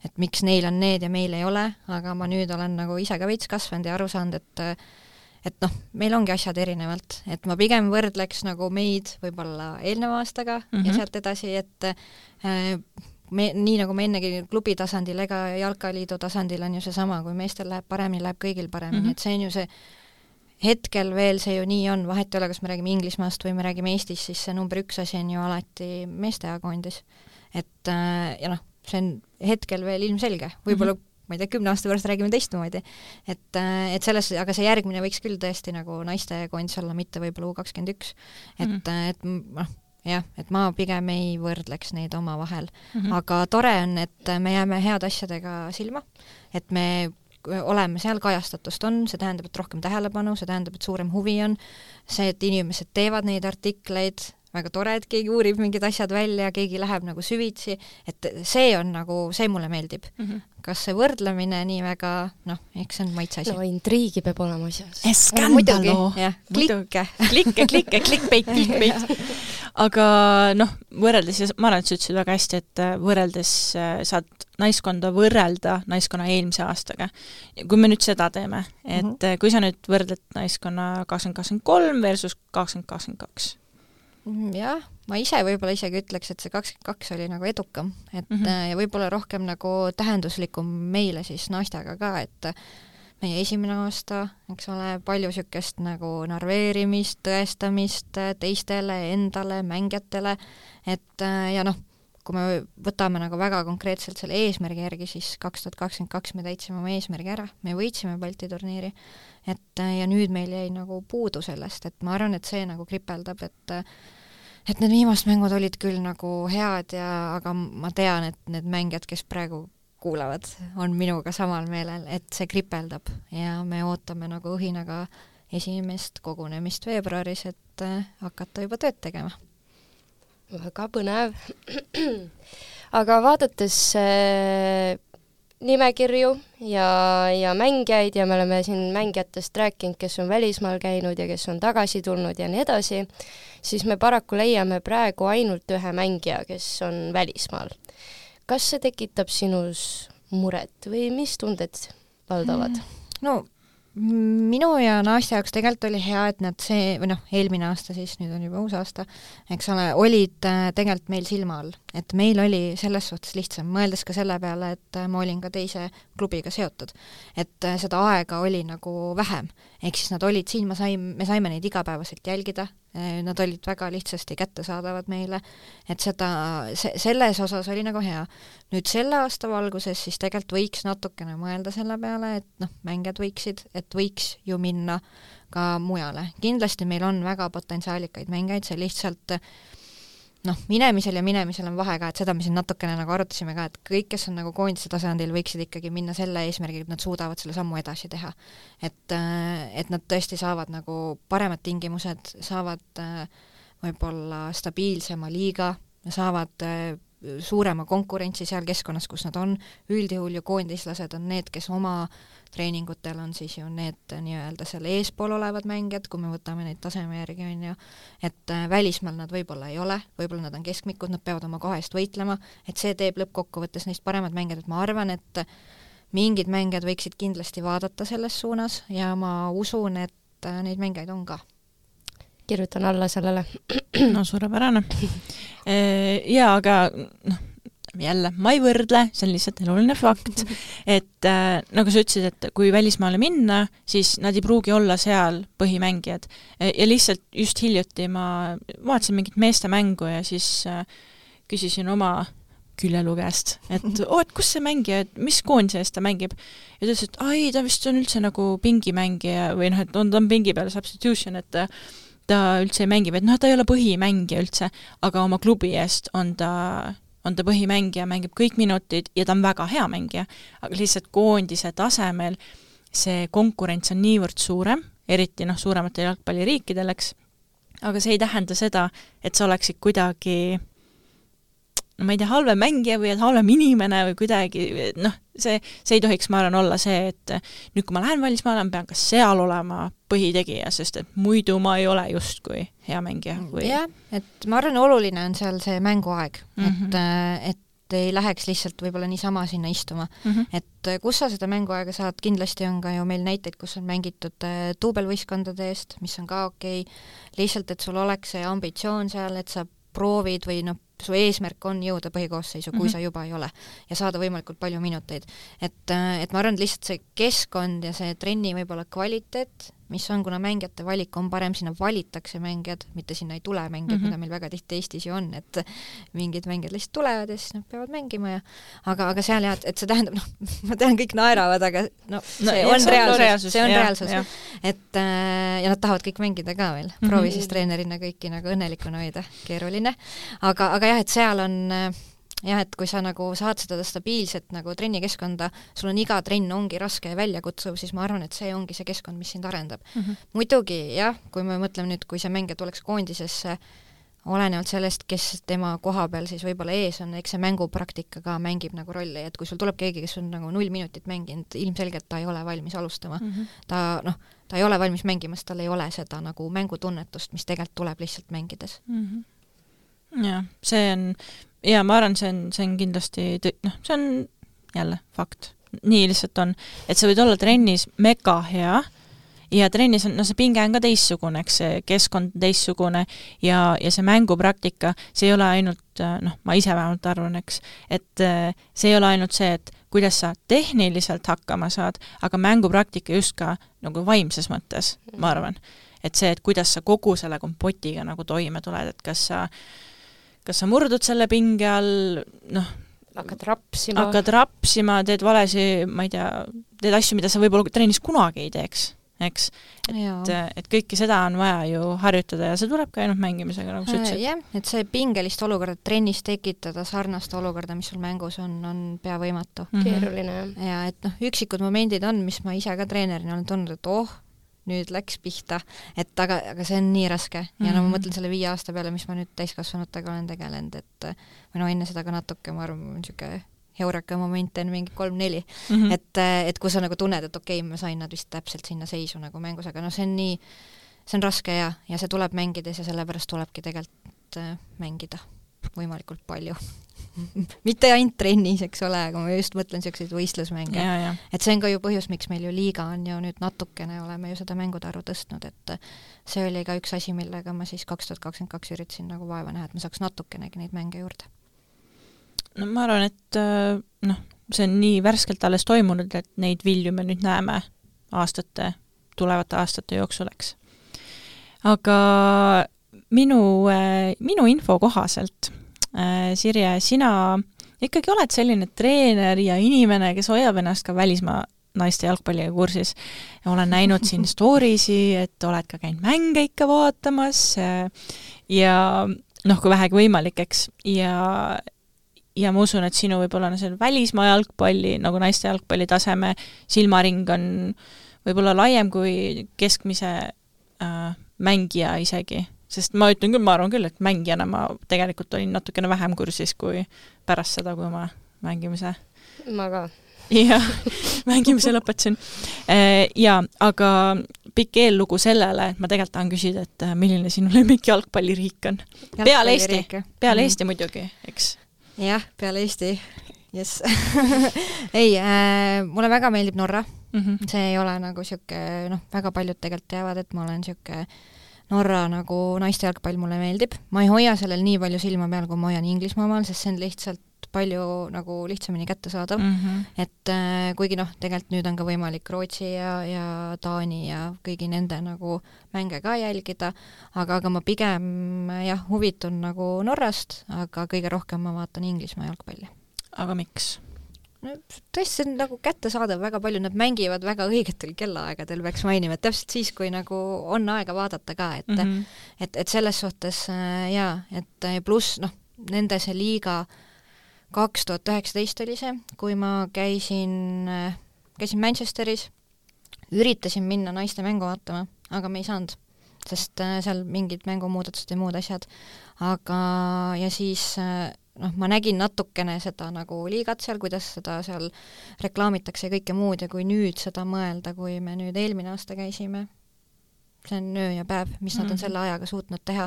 et miks neil on need ja meil ei ole, aga ma nüüd olen nagu ise ka veits kasvanud ja aru saanud, et et noh, meil ongi asjad erinevalt, et ma pigem võrdleks nagu meid võib-olla eelneva aastaga mm -hmm. ja sealt edasi, et äh, me, nii nagu me ennegi klubi tasandil ega jalkaliidu tasandil on ju seesama, kui meestel läheb paremini, läheb kõigil paremini mm, -hmm. et see on ju see, hetkel veel see ju nii on, vahet ei ole, kas me räägime Inglismaast või me räägime Eestis, siis see number üks asi on ju alati meeste A-koondis. Et ja noh, see on hetkel veel ilmselge, võib-olla mm -hmm. ma ei tea, kümne aasta pärast räägime teistmoodi. Et, et selles, aga see järgmine võiks küll tõesti nagu naiste koondis olla, mitte võib-olla U kakskümmend üks. Et, mm -hmm. et noh, jah, et ma pigem ei võrdleks neid oma vahel. Mm -hmm. Aga tore on, et me jääme head asjadega silma, et me oleme seal, kajastatust on, see tähendab, et rohkem tähelepanu, see tähendab, et suurem huvi on, see, et inimesed teevad neid artikleid, väga tore, et keegi uurib mingid asjad välja, keegi läheb nagu süvitsi, et see on nagu, see mulle meeldib. Mm -hmm. Kas see võrdlemine nii väga, noh, eks see on maitse asi. No intriigi peab olema asjas. Skandalo! Klikke. Klikke, klikke, klikpeit, klikpeit. Aga noh, võrreldes, ma arvan, et sa ütlesid väga hästi, et võrreldes saad naiskonda võrrelda naiskonna eelmise aastaga. Kui me nüüd seda teeme, et mm -hmm. kui sa nüüd võrdled naiskonna kakskümmend kakskümmend kolm versus kakskümmend kakskümmend kaks? Jah, ma ise võib-olla isegi ütleks, et see kakskümmend kaks oli nagu edukam, et mm -hmm. ja võib-olla rohkem nagu tähenduslikum meile siis naistega ka, et meie esimene aasta, eks ole, palju niisugust nagu narveerimist, tõestamist teistele, endale, mängijatele, et ja noh, kui me võtame nagu väga konkreetselt selle eesmärgi järgi, siis kaks tuhat kakskümmend kaks me täitsime oma eesmärgi ära, me võitsime Balti turniiri, et ja nüüd meil jäi nagu puudu sellest, et ma arvan, et see nagu kripeldab, et et need viimast mängud olid küll nagu head ja, aga ma tean, et need mängijad, kes praegu kuulavad, on minuga samal meelel, et see kripeldab ja me ootame nagu õhinaga esimest kogunemist veebruaris, et hakata juba tööd tegema. Väga põnev. Aga vaadates äh, nimekirju ja, ja mängijaid ja me oleme siin mängijatest rääkinud, kes on välismaal käinud ja kes on tagasi tulnud ja nii edasi, siis me paraku leiame praegu ainult ühe mängija, kes on välismaal. Kas see tekitab sinus muret või mis tunded valdavad? No minu ja naiste jaoks tegelikult oli hea, et nad see, või noh, eelmine aasta siis, nüüd on juba uus aasta, eks ole, olid tegelikult meil silma all. Et meil oli selles suhtes lihtsam, mõeldes ka selle peale, et ma olin ka teise klubiga seotud. Et seda aega oli nagu vähem. Ehk siis nad olid siin, ma sain, me saime neid igapäevaselt jälgida, nad olid väga lihtsasti kättesaadavad meile, et seda, se, selles osas oli nagu hea. Nüüd selle aasta valguses siis tegelikult võiks natukene mõelda selle peale, et noh, mängijad võiksid, et võiks ju minna ka mujale. Kindlasti meil on väga potentsiaalikaid mängijaid, see lihtsalt noh, minemisel ja minemisel on vahe ka, et seda me siin natukene nagu arutasime ka, et kõik, kes on nagu koondise tasandil, võiksid ikkagi minna selle eesmärgiga, et nad suudavad selle sammu edasi teha. Et, et nad tõesti saavad nagu paremad tingimused, saavad võib-olla stabiilsema liiga, saavad suurema konkurentsi seal keskkonnas, kus nad on. Üldjuhul ju koondislased on need, kes oma treeningutel on siis ju need nii-öelda seal eespool olevad mängijad, kui me võtame neid taseme järgi, on ju, et välismaal nad võib-olla ei ole, võib-olla nad on keskmikud, nad peavad oma koha eest võitlema, et see teeb lõppkokkuvõttes neist paremad mängijad, et ma arvan, et mingid mängijad võiksid kindlasti vaadata selles suunas ja ma usun, et neid mängijaid on ka. Kirjutan alla sellele. No suurepärane. Jaa, aga noh, jälle, ma ei võrdle, see on lihtsalt eluline fakt, et äh, nagu sa ütlesid, et kui välismaale minna, siis nad ei pruugi olla seal põhimängijad. Ja lihtsalt just hiljuti ma vaatasin mingit meeste mängu ja siis äh, küsisin oma küljelu käest, et oo, et kus see mängija, et mis koondise eest ta mängib? Ja ta ütles, et ai, ta vist on üldse nagu pingimängija või noh, et on, ta on pingi peal substitution, et ta üldse ei mängib, et noh, ta ei ole põhimängija üldse, aga oma klubi eest on ta on ta põhimängija, mängib kõik minutid ja ta on väga hea mängija, aga lihtsalt koondise tasemel see konkurents on niivõrd suurem, eriti noh, suurematel jalgpalliriikidel, eks, aga see ei tähenda seda, et sa oleksid kuidagi no ma ei tea, halvem mängija või et halvem inimene või kuidagi, noh, see, see ei tohiks, ma arvan, olla see, et nüüd, kui ma lähen välismaale, ma pean ka seal olema põhitegija, sest et muidu ma ei ole justkui hea mängija. Või... jah, et ma arvan, oluline on seal see mänguaeg, mm -hmm. et, et ei läheks lihtsalt võib-olla niisama sinna istuma. Mm -hmm. Et kus sa seda mänguaega saad, kindlasti on ka ju meil näiteid, kus on mängitud duubelvõistkondade eest, mis on ka okei, okay. Lihtsalt, et sul oleks see ambitsioon seal, et sa proovid või noh, su eesmärk on jõuda põhikoosseisu, kui mm -hmm. sa juba ei ole, ja saada võimalikult palju minuteid. Et, et ma arvan, lihtsalt see keskkond ja see trenni võib-olla kvaliteet, mis on, kuna mängijate valik on parem, sinna valitakse mängijad, mitte sinna ei tule mängijad, mm -hmm. mida meil väga tihti Eestis ju on, et mingid mängijad lihtsalt tulevad ja siis nad peavad mängima ja aga, aga seal jah, et see tähendab, noh, ma tean, kõik naeravad, aga no see no, on reaalsus, reaalsus, see on ja, reaalsus. Ja. Et ja nad tahavad kõik mängida ka veel, proovi mm -hmm. siis treenerina kõiki nagu õnnelikuna hoida, keeruline, aga, aga jah, et seal on jah, et kui sa nagu saad seda stabiilset nagu trennikeskkonda, sul on iga trenn ongi raske ja väljakutsuv, siis ma arvan, et see ongi see keskkond, mis sind arendab. Mm -hmm. Muidugi jah, kui me mõtleme nüüd, kui see mängija tuleks koondisesse, olenevalt sellest, kes tema koha peal siis võib-olla ees on, eks see mängupraktika ka mängib nagu rolli, et kui sul tuleb keegi, kes on nagu null minutit mänginud, ilmselgelt ta ei ole valmis alustama mm. -hmm. ta noh, ta ei ole valmis mängima, sest tal ei ole seda nagu mängutunnetust, mis tegelikult tuleb lihtsalt mängides mm. -hmm. Ja, see on, ja ma arvan, see on, see on kindlasti, noh, see on jälle fakt. Nii lihtsalt on, et sa võid olla trennis mega hea ja trennis on, no see pinge on ka teissugune, eks see keskkond teissugune ja, ja see mängupraktika, see ei ole ainult, noh, ma ise vähemalt arvan, eks, et see ei ole ainult see, et kuidas sa tehniliselt hakkama saad, aga mängupraktika just ka nagu vaimses mõttes, ma arvan. Et see, et kuidas sa kogu selle kompotiga nagu toime tuled, et kas sa, kas sa murdud selle pinge all, noh, hakkad rapsima. hakkad rapsima, teed valesi, ma ei tea, teed asju, mida sa võib-olla trennis kunagi ei teeks. Eks, et, et kõike seda on vaja ju harjutada ja see tuleb ka ainult mängimisega, nagu sa ütlesid. Jah, et see pingelist olukorda trennis tekitada sarnast olukorda, mis sul mängus on, on pea võimatu. Mm-hmm. Keeruline. Ja et noh, üksikud momendid on, mis ma ise ka treenerina olen tundnud, et oh, nüüd läks pihta, et aga, aga see on nii raske. Ja mm-hmm. no ma mõtlen selle viie aasta peale, mis ma nüüd täiskasvanutega olen tegelenud, et või no enne seda ka natuke, ma arvan, niisugune heureka momente on mingi kolm-neli, mm-hmm. et, et kui sa nagu tunned, et okei okay,, ma sain nad vist täpselt sinna seisu nagu mängus, aga no see on nii, see on raske ja, ja see tuleb mängides ja sellepärast tulebki tegelikult mängida võimalikult palju. Mitte ainult trennis, eks ole, aga ma just mõtlen selliseid võistlusmänge. Ja, ja. Et see on ka ju põhjus, miks meil ju liiga on ju nüüd natukene, oleme ju seda mängude arvu tõstnud, et see oli ka üks asi, millega ma siis kaks tuhat kakskümmend kaks üritasin nagu vaeva näha, et ma saaks natukenegi neid mänge juurde. No ma arvan, et noh, see on nii värskelt alles toimunud, et neid vilju me nüüd näeme aastate, tulevate aastate jooksul, eks. Aga minu, minu info kohaselt, Sirje, sina ikkagi oled selline treener ja inimene, kes hoiab ennast ka välismaa naiste jalgpalliga kursis. Ja olen näinud siin storiesi, et oled ka käinud mänge ikka vaatamas ja noh, kui vähegi võimalik, eks, ja ja ma usun, et sinu võib-olla on see välismaa jalgpalli, nagu naiste jalgpalli taseme silmaring on võib-olla laiem kui keskmise äh, mängija isegi. Sest ma ütlen küll, ma arvan küll, et mängijana ma tegelikult olin natukene vähem kursis kui pärast seda, kui ma mängimise. Ma ka. Ja, mängimise lõpetasin. Äh, ja, aga pikk eellugu sellele, et ma tegelikult tahan küsida, et milline sinu lemmik jalgpalliriik on? Peale Eesti. Peale mm. Eesti muidugi, eks? Jah, peale Eesti, yes. ei, äh, mulle väga meeldib Norra, mm-hmm. see ei ole nagu siuke, noh, väga paljud tegelikult teavad, et ma olen siuke Norra nagu naiste jalgpall mulle meeldib. Ma ei hoia sellel nii palju silma peal, kui ma hoian Inglismaa maal, sest see on lihtsalt palju nagu lihtsamini kätte saadav. Mm-hmm. Et äh, kuigi noh, tegelikult nüüd on ka võimalik Rootsi ja, ja Taani ja kõigi nende nagu mänge ka jälgida, aga, aga ma pigem jah, huvitun nagu Norrast, aga kõige rohkem ma vaatan Inglismaa jalgpalli. Aga miks? No, tõesti, see on nagu kätte saadav, väga palju nad mängivad väga õigetel kellaaegadel, peaks mainima, et täpselt siis, kui nagu on aega vaadata ka, et, mm-hmm. et, et selles suhtes äh, jaa, et pluss noh, nende see liiga kaks tuhat üheksateist oli see, kui ma käisin, käisin Manchesteris, üritasin minna naiste mängu vaatama, aga me ei saanud, sest seal mingid mängumuudatused ja muud asjad. Aga ja siis noh, ma nägin natukene seda nagu liigat seal, kuidas seda seal reklaamitakse ja kõike muud ja kui nüüd seda mõelda, kui me nüüd eelmine aasta käisime, see on öö ja päev, mis nad on selle ajaga suutnud teha,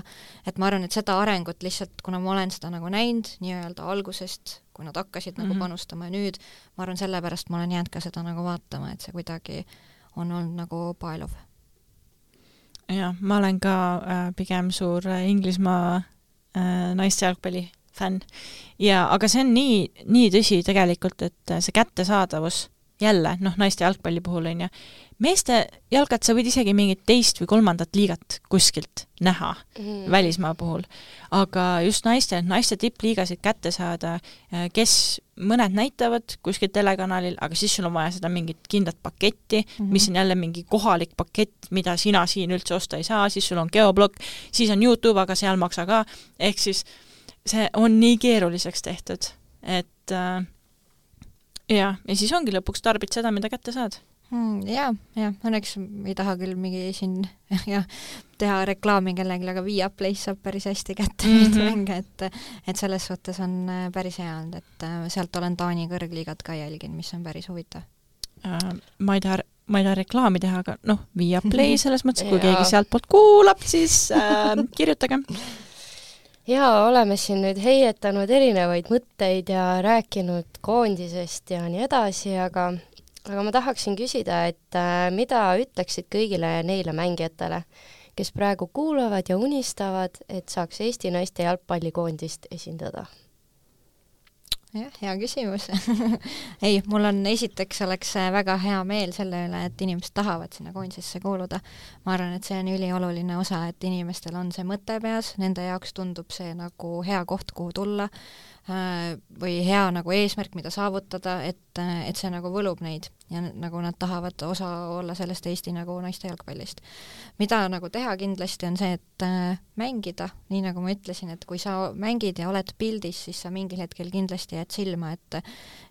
et ma arvan, et seda arengut lihtsalt, kuna ma olen seda nagu näinud nii-öelda algusest, kui nad hakkasid mm-hmm. nagu panustama ja nüüd, ma arvan, sellepärast ma olen jäänud ka seda nagu vaatama, et see kuidagi on olnud nagu paeluv. Ja, ma olen ka äh, pigem suur Inglismaa äh, naiste jalgpalli fänn. Ja, aga see on nii, nii tõsi tegelikult, et see kättesaadavus jälle, noh, naiste jalgpalli puhul on ja meeste jalgat sa võid isegi mingit teist või kolmandat liigat kuskilt näha mm. välismaa puhul. Aga just naiste, naiste tippliigasid kätte saada, kes mõned näitavad kuskil telekanalil, aga siis sul on vaja seda mingit kindlat paketti, mm-hmm. mis on jälle mingi kohalik pakett, mida sina siin üldse osta ei saa, siis sul on geoblokk, siis on YouTube, aga seal maksa ka. Ehk siis see on nii keeruliseks tehtud, et äh, ja, ja siis ongi lõpuks tarbid seda, mida kätte saad. Hmm, jaa, jah, õnneks ei taha küll mingi siin ja, teha reklaami kellegi, aga Viaplays saab päris hästi kätte mm -hmm. neid mänge, et, et selles suhtes on päris hea olnud, et sealt olen Taani kõrgliigat ka jälginud, mis on päris huvitav. Äh, ma ei taha ma ei taha reklaami teha, aga noh, Viaplay selles mõttes, kui keegi sealt poolt kuulab, siis äh, kirjutage. Jaa, oleme siin nüüd heietanud erinevaid mõtteid ja rääkinud koondisest ja nii edasi, aga aga ma tahaksin küsida, et äh, mida ütleksid kõigile neile mängijatele, kes praegu kuulavad ja unistavad, et saaks Eesti naiste jalgpallikoondist esindada? Jah, hea küsimus. Ei, mul on esiteks oleks väga hea meel selle üle, et inimesed tahavad sinna koondisesse kuuluda. Ma arvan, et see on ülioluline osa, et inimestel on see mõte peas, nende jaoks tundub see nagu hea koht, kuhu tulla, või hea nagu eesmärk, mida saavutada, et, et see nagu võlub neid ja nagu nad tahavad osa olla sellest Eesti nagu naiste jalgpallist. Mida nagu teha kindlasti on see, et mängida, nii nagu ma ütlesin, et kui sa mängid ja oled pildis, siis sa mingil hetkel kindlasti jääd silma, et,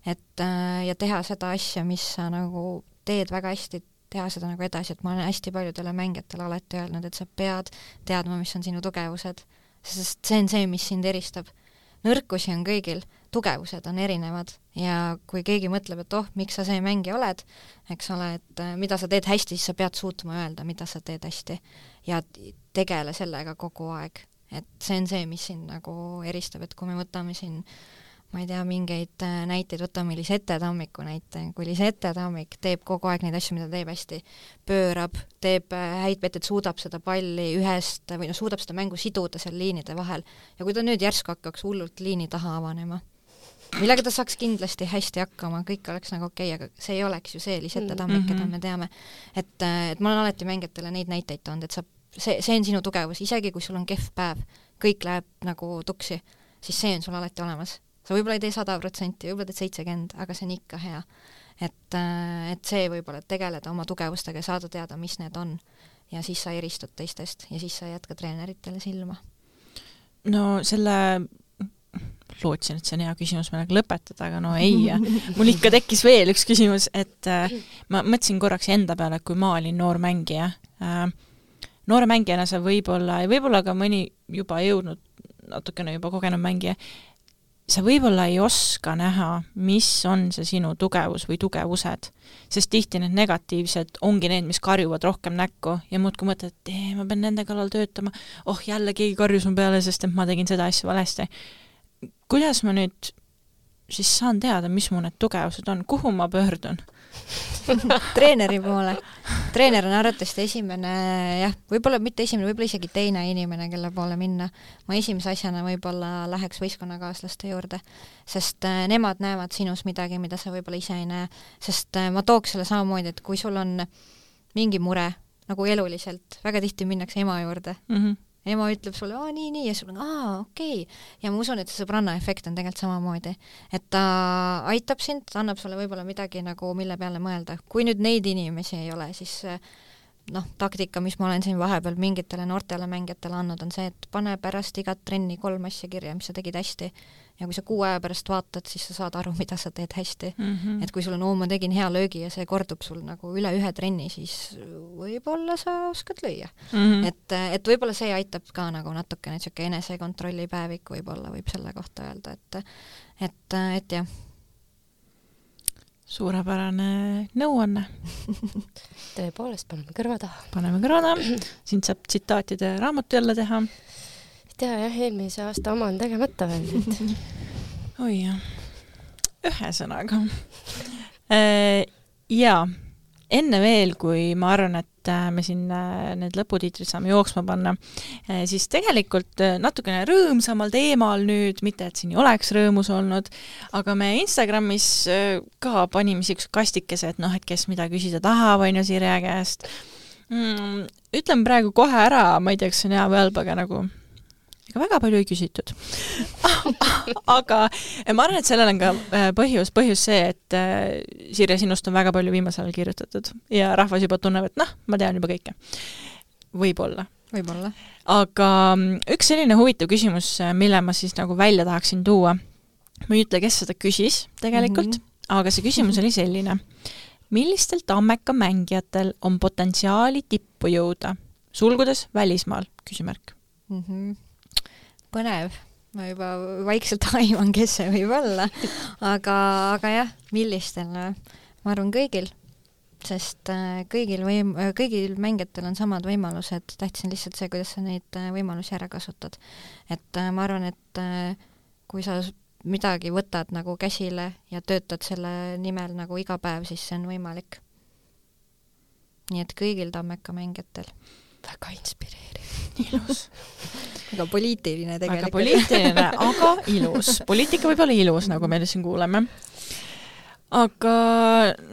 et ja teha seda asja, mis sa nagu teed väga hästi, teha seda nagu edasi, et ma olen hästi paljudele mängijatele alati öelnud, et sa pead teadma, mis on sinu tugevused, sest see on see, mis sind eristab. Nõrkusi on kõigil, tugevused on erinevad ja kui keegi mõtleb, et oh, miks sa see mängija oled, eks ole, et mida sa teed hästi, siis sa pead suutma öelda, mida sa teed hästi ja tegele sellega kogu aeg. Et see on see, mis sind nagu eristab, et kui me võtame siin ma ei tea, mingeid näiteid, võtame Lisette Tammiku näite, kui Lisette Tammik teeb kogu aeg neid asju, mida teeb hästi, pöörab, teeb häid vett, et suudab seda palli ühest või no suudab seda mängu siduda seal liinide vahel ja kui ta nüüd järsku hakkaks hullult liini taha avanema, millega ta saaks kindlasti hästi hakkama, kõik oleks nagu okei okay,, aga see ei oleks ju see Lisette Tammik, keda me teame. Et, et ma olen alati mängijatele neid näiteid toonud, et sa, see, see on sinu tugevus, isegi kui sul on kehv päev, kõik läheb nagu tuksi, siis see on sul alati olemas. Sa võib-olla ei tee sada protsenti, võib-olla teed seitsekümmend, aga see on ikka hea. Et, et see võib-olla tegeleda oma tugevustega ja saada teada, mis need on. Ja siis sa eristud teistest ja siis sa jätka treeneritele silma. No selle, lootsin, et see on hea küsimus meelega lõpetada, aga no ei. Mul ikka tekkis veel üks küsimus, et äh, ma mõtlesin korraks enda peale, kui ma olin noor mängija. Äh, noore mängijana sa võib-olla, ja võib-olla ka mõni juba jõudnud, natukene juba kogenud mängija, sa võib-olla ei oska näha, mis on see sinu tugevus või tugevused, sest tihti need negatiivsed ongi need, mis karjuvad rohkem näkku ja muud kui mõtled, et ee, ma pean nende kallal töötama, oh jälle keegi karjus mu peale, sest et ma tegin seda asja valesti. Kuidas ma nüüd siis saan teada, mis mu need tugevused on, kuhu ma pöördun? Treeneri poole. Treener on arvatavasti esimene, jah, võib-olla mitte esimene, võib-olla isegi teine inimene, kelle poole minna. Ma esimese asjana võib-olla läheks võistkonnakaaslaste juurde, sest nemad näevad sinus midagi, mida sa võib-olla ise ei näe. Sest ma tooks selle samamoodi, et kui sul on mingi mure, nagu eluliselt, väga tihti minnakse ema juurde, mm-hmm. ema ütleb sulle, aa, nii, nii, ja sul on, aa, okei. Ja ma usun, et see sõbranna efekt on tegelikult samamoodi. Et ta aitab sind, ta annab sulle võib-olla midagi, nagu, mille peale mõelda. Kui nüüd neid inimesi ei ole, siis noh, taktika, mis ma olen siin vahepeal mingitele noortele mängijatele andnud, on see, et pane pärast igat trenni kolm asja kirja, mis sa tegid hästi. Ja kui sa kuu aja pärast vaatad, siis sa saad aru, mida sa teed hästi. Mm-hmm. Et kui sul on, oo, ma tegin hea löögi ja see kordub sul nagu üle ühe trenni, siis võib-olla sa oskad lüüa. Mm-hmm. Et, et võib-olla see aitab ka nagu natukene niisugune enesekontrolli päevik võib-olla võib selle kohta öelda, et, et, et jah. Suurepärane nõuanne. Tõepoolest, paneme kõrva taha. Paneme kõrva taha. Siin saab tsitaatide raamatu jälle teha. Tea, jah, eelmise aasta oma on tegemata veel nüüd. Oi jah. Ühe sõnaga. Äh, jaa, enne veel, kui ma arvan, et me siin need lõputiitrid saame jooksma panna, siis tegelikult natukene rõõmsamal teemal nüüd, mitte et siin ei oleks rõõmus olnud, aga me Instagramis ka panime siuks kastikese, et noh, et kes mida küsida tahab, on ju Sirje käest. Mm, ütlen praegu kohe ära, ma ei tea, kas see on hea või halb, aga nagu ega väga palju ei küsitud. Aga ma arvan, et sellel on ka põhjus, põhjus see, et Sirje, sinust on väga palju viimasel kirjutatud ja rahvas juba tunneb, et noh, ma tean juba kõike. Võib-olla. Võib-olla. Aga üks selline huvitav küsimus, mille ma siis nagu välja tahaksin tuua, ma ei ütle, kes seda küsis tegelikult, mm-hmm. aga see küsimus oli selline. millistel Tammeka mängijatel on potentsiaali tippu jõuda? Sulgudes välismaal, küsimärk. Mm-hmm. Põnev. Ma juba vaikselt aiman, kes see võib olla. Aga, aga jah, millistel? Ma arvan kõigil, sest kõigil, võim, kõigil mängijatel on samad võimalused. Tähtsin lihtsalt see, kuidas sa neid võimalusi ära kasutad. Et ma arvan, et kui sa midagi võtad nagu käsile ja töötad selle nimel nagu iga päev, siis see on võimalik. Nii et kõigil Tammeka mängijatel. Väga inspireeriv. Ilus. Väga poliitiline tegelikult. Väga poliitiline, aga ilus. Poliitika võib olla ilus, nagu me siin kuuleme. Aga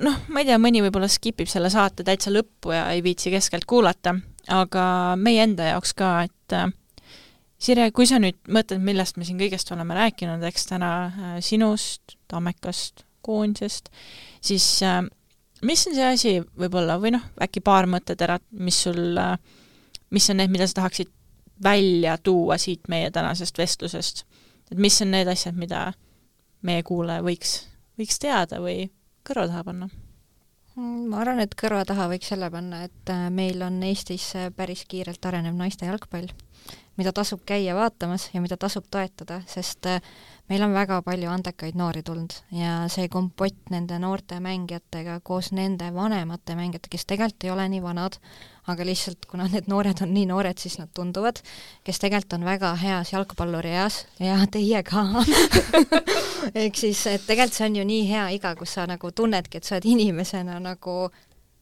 noh, ma ei tea, mõni võib-olla skipib selle saate täitsa lõppu ja ei viitsi keskelt kuulata, aga meie enda jaoks ka, et Sirje, kui sa nüüd mõtled, millest me siin kõigest oleme rääkinud, eks täna sinust, Tammekast, koondisest, siis mis on see asi võib-olla, või noh, äkki paar mõtteterad, mis sul, mis on need, mida sa tahaksid välja tuua siit meie tänasest vestlusest? Et mis on need asjad, mida meie kuulaja võiks, võiks teada või kõrva taha panna? Ma arvan, et kõrva taha võiks selle panna, et meil on Eestis päris kiirelt arenev naiste jalgpall, mida tasub käia vaatamas ja mida tasub toetada, sest meil on väga palju andekaid noori tulnud ja see kompott nende noorte mängijatega koos nende vanemate mängijate, kes tegelikult ei ole nii vanad, aga lihtsalt kuna need noored on nii noored, siis nad tunduvad, kes tegelikult on väga heas jalgpalluri eas ja teie ka. Ehk siis, et tegelikult see on ju nii hea iga, kus sa nagu tunnedki, et sa oled inimesena nagu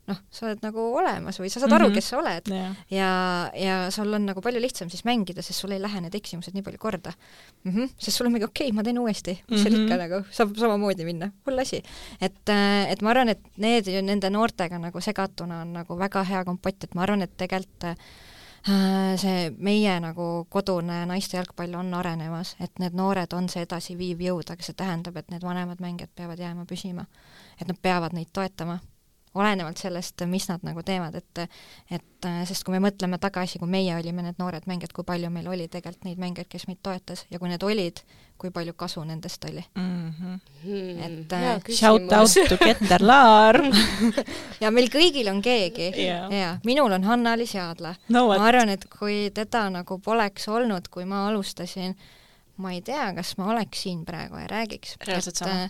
noh, sa oled nagu olemas või sa saad aru, mm-hmm. kes sa oled yeah. ja, ja sul on nagu palju lihtsam siis mängida, sest sul ei lähe need eksimused nii palju korda. Mm-hmm. Sest sul on mingi okei, okay, ma teen uuesti, mis mm-hmm. seal ikka nagu saab samamoodi minna, hull asi. Et, et ma arvan, et need nende noortega nagu segatuna on nagu väga hea kompott, et ma arvan, et tegelikult see meie nagu kodune naiste jalgpall on arenemas, et need noored on see edasi viiv jõud, aga see tähendab, et need vanemad mängijad peavad jääma püsima, et nad peavad neid toetama olenevalt sellest, mis nad nagu teevad, et, et sest kui me mõtleme tagasi, kui meie olime need noored mängijad, kui palju meil oli tegelikult neid mängijaid, kes meid toetas ja kui need olid, kui palju kasu nendest oli. Mm-hmm. Et, ja, shout out to Keter Laar. ja meil kõigil on keegi. Yeah. Ja, minul on Hanna-Liis Jaadla. No, ma arvan, et kui teda nagu poleks olnud, kui ma alustasin, ma ei tea, kas ma oleks siin praegu ja räägiks. Reaalselt sama.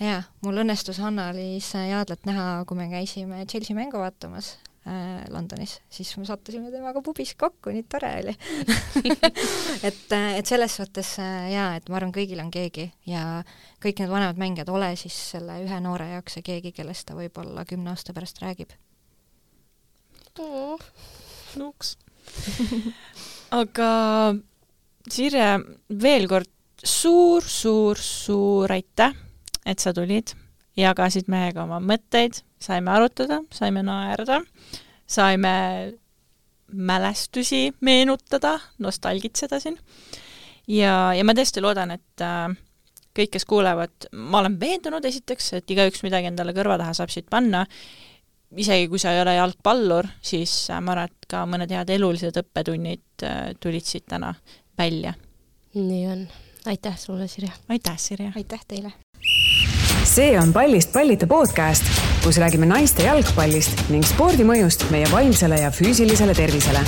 Jaa, mul õnnestus Hanna-Liis Jaadlat näha, kui me käisime Chelsea mängu vaatamas äh, Londonis, siis me sattusime temaga pubis kokku, nii tore oli. et, et selles suhtes äh, jaa, et ma arvan, kõigil on keegi ja kõik need vanemad mängijad ole siis selle ühe noore jaoks ja keegi, kellest ta võib-olla kümne aasta pärast räägib. Oh, nuks. Aga Sirje, veel kord suur, suur, suur aitäh, et sa tulid, jagasid mehega oma mõtteid, saime arutada, saime naerda, saime mälestusi meenutada, nostalgitseda siin. Ja, ja ma tõesti loodan, et äh, kõik, kes kuulevad, ma olen veendunud esiteks, et igaüks midagi endale kõrva taha saab siit panna. Isegi kui sa ei ole jalgpallur, siis äh, ma arvan, et ka mõned head elulised õppetunnid äh, tulid siit täna välja. Nii on. Aitäh sulle, Sirje. Aitäh, Sirje. Aitäh teile. See on Pallist pallita podcast, kus räägime naiste jalgpallist ning spordimõjust meie vaimsele ja füüsilisele tervisele.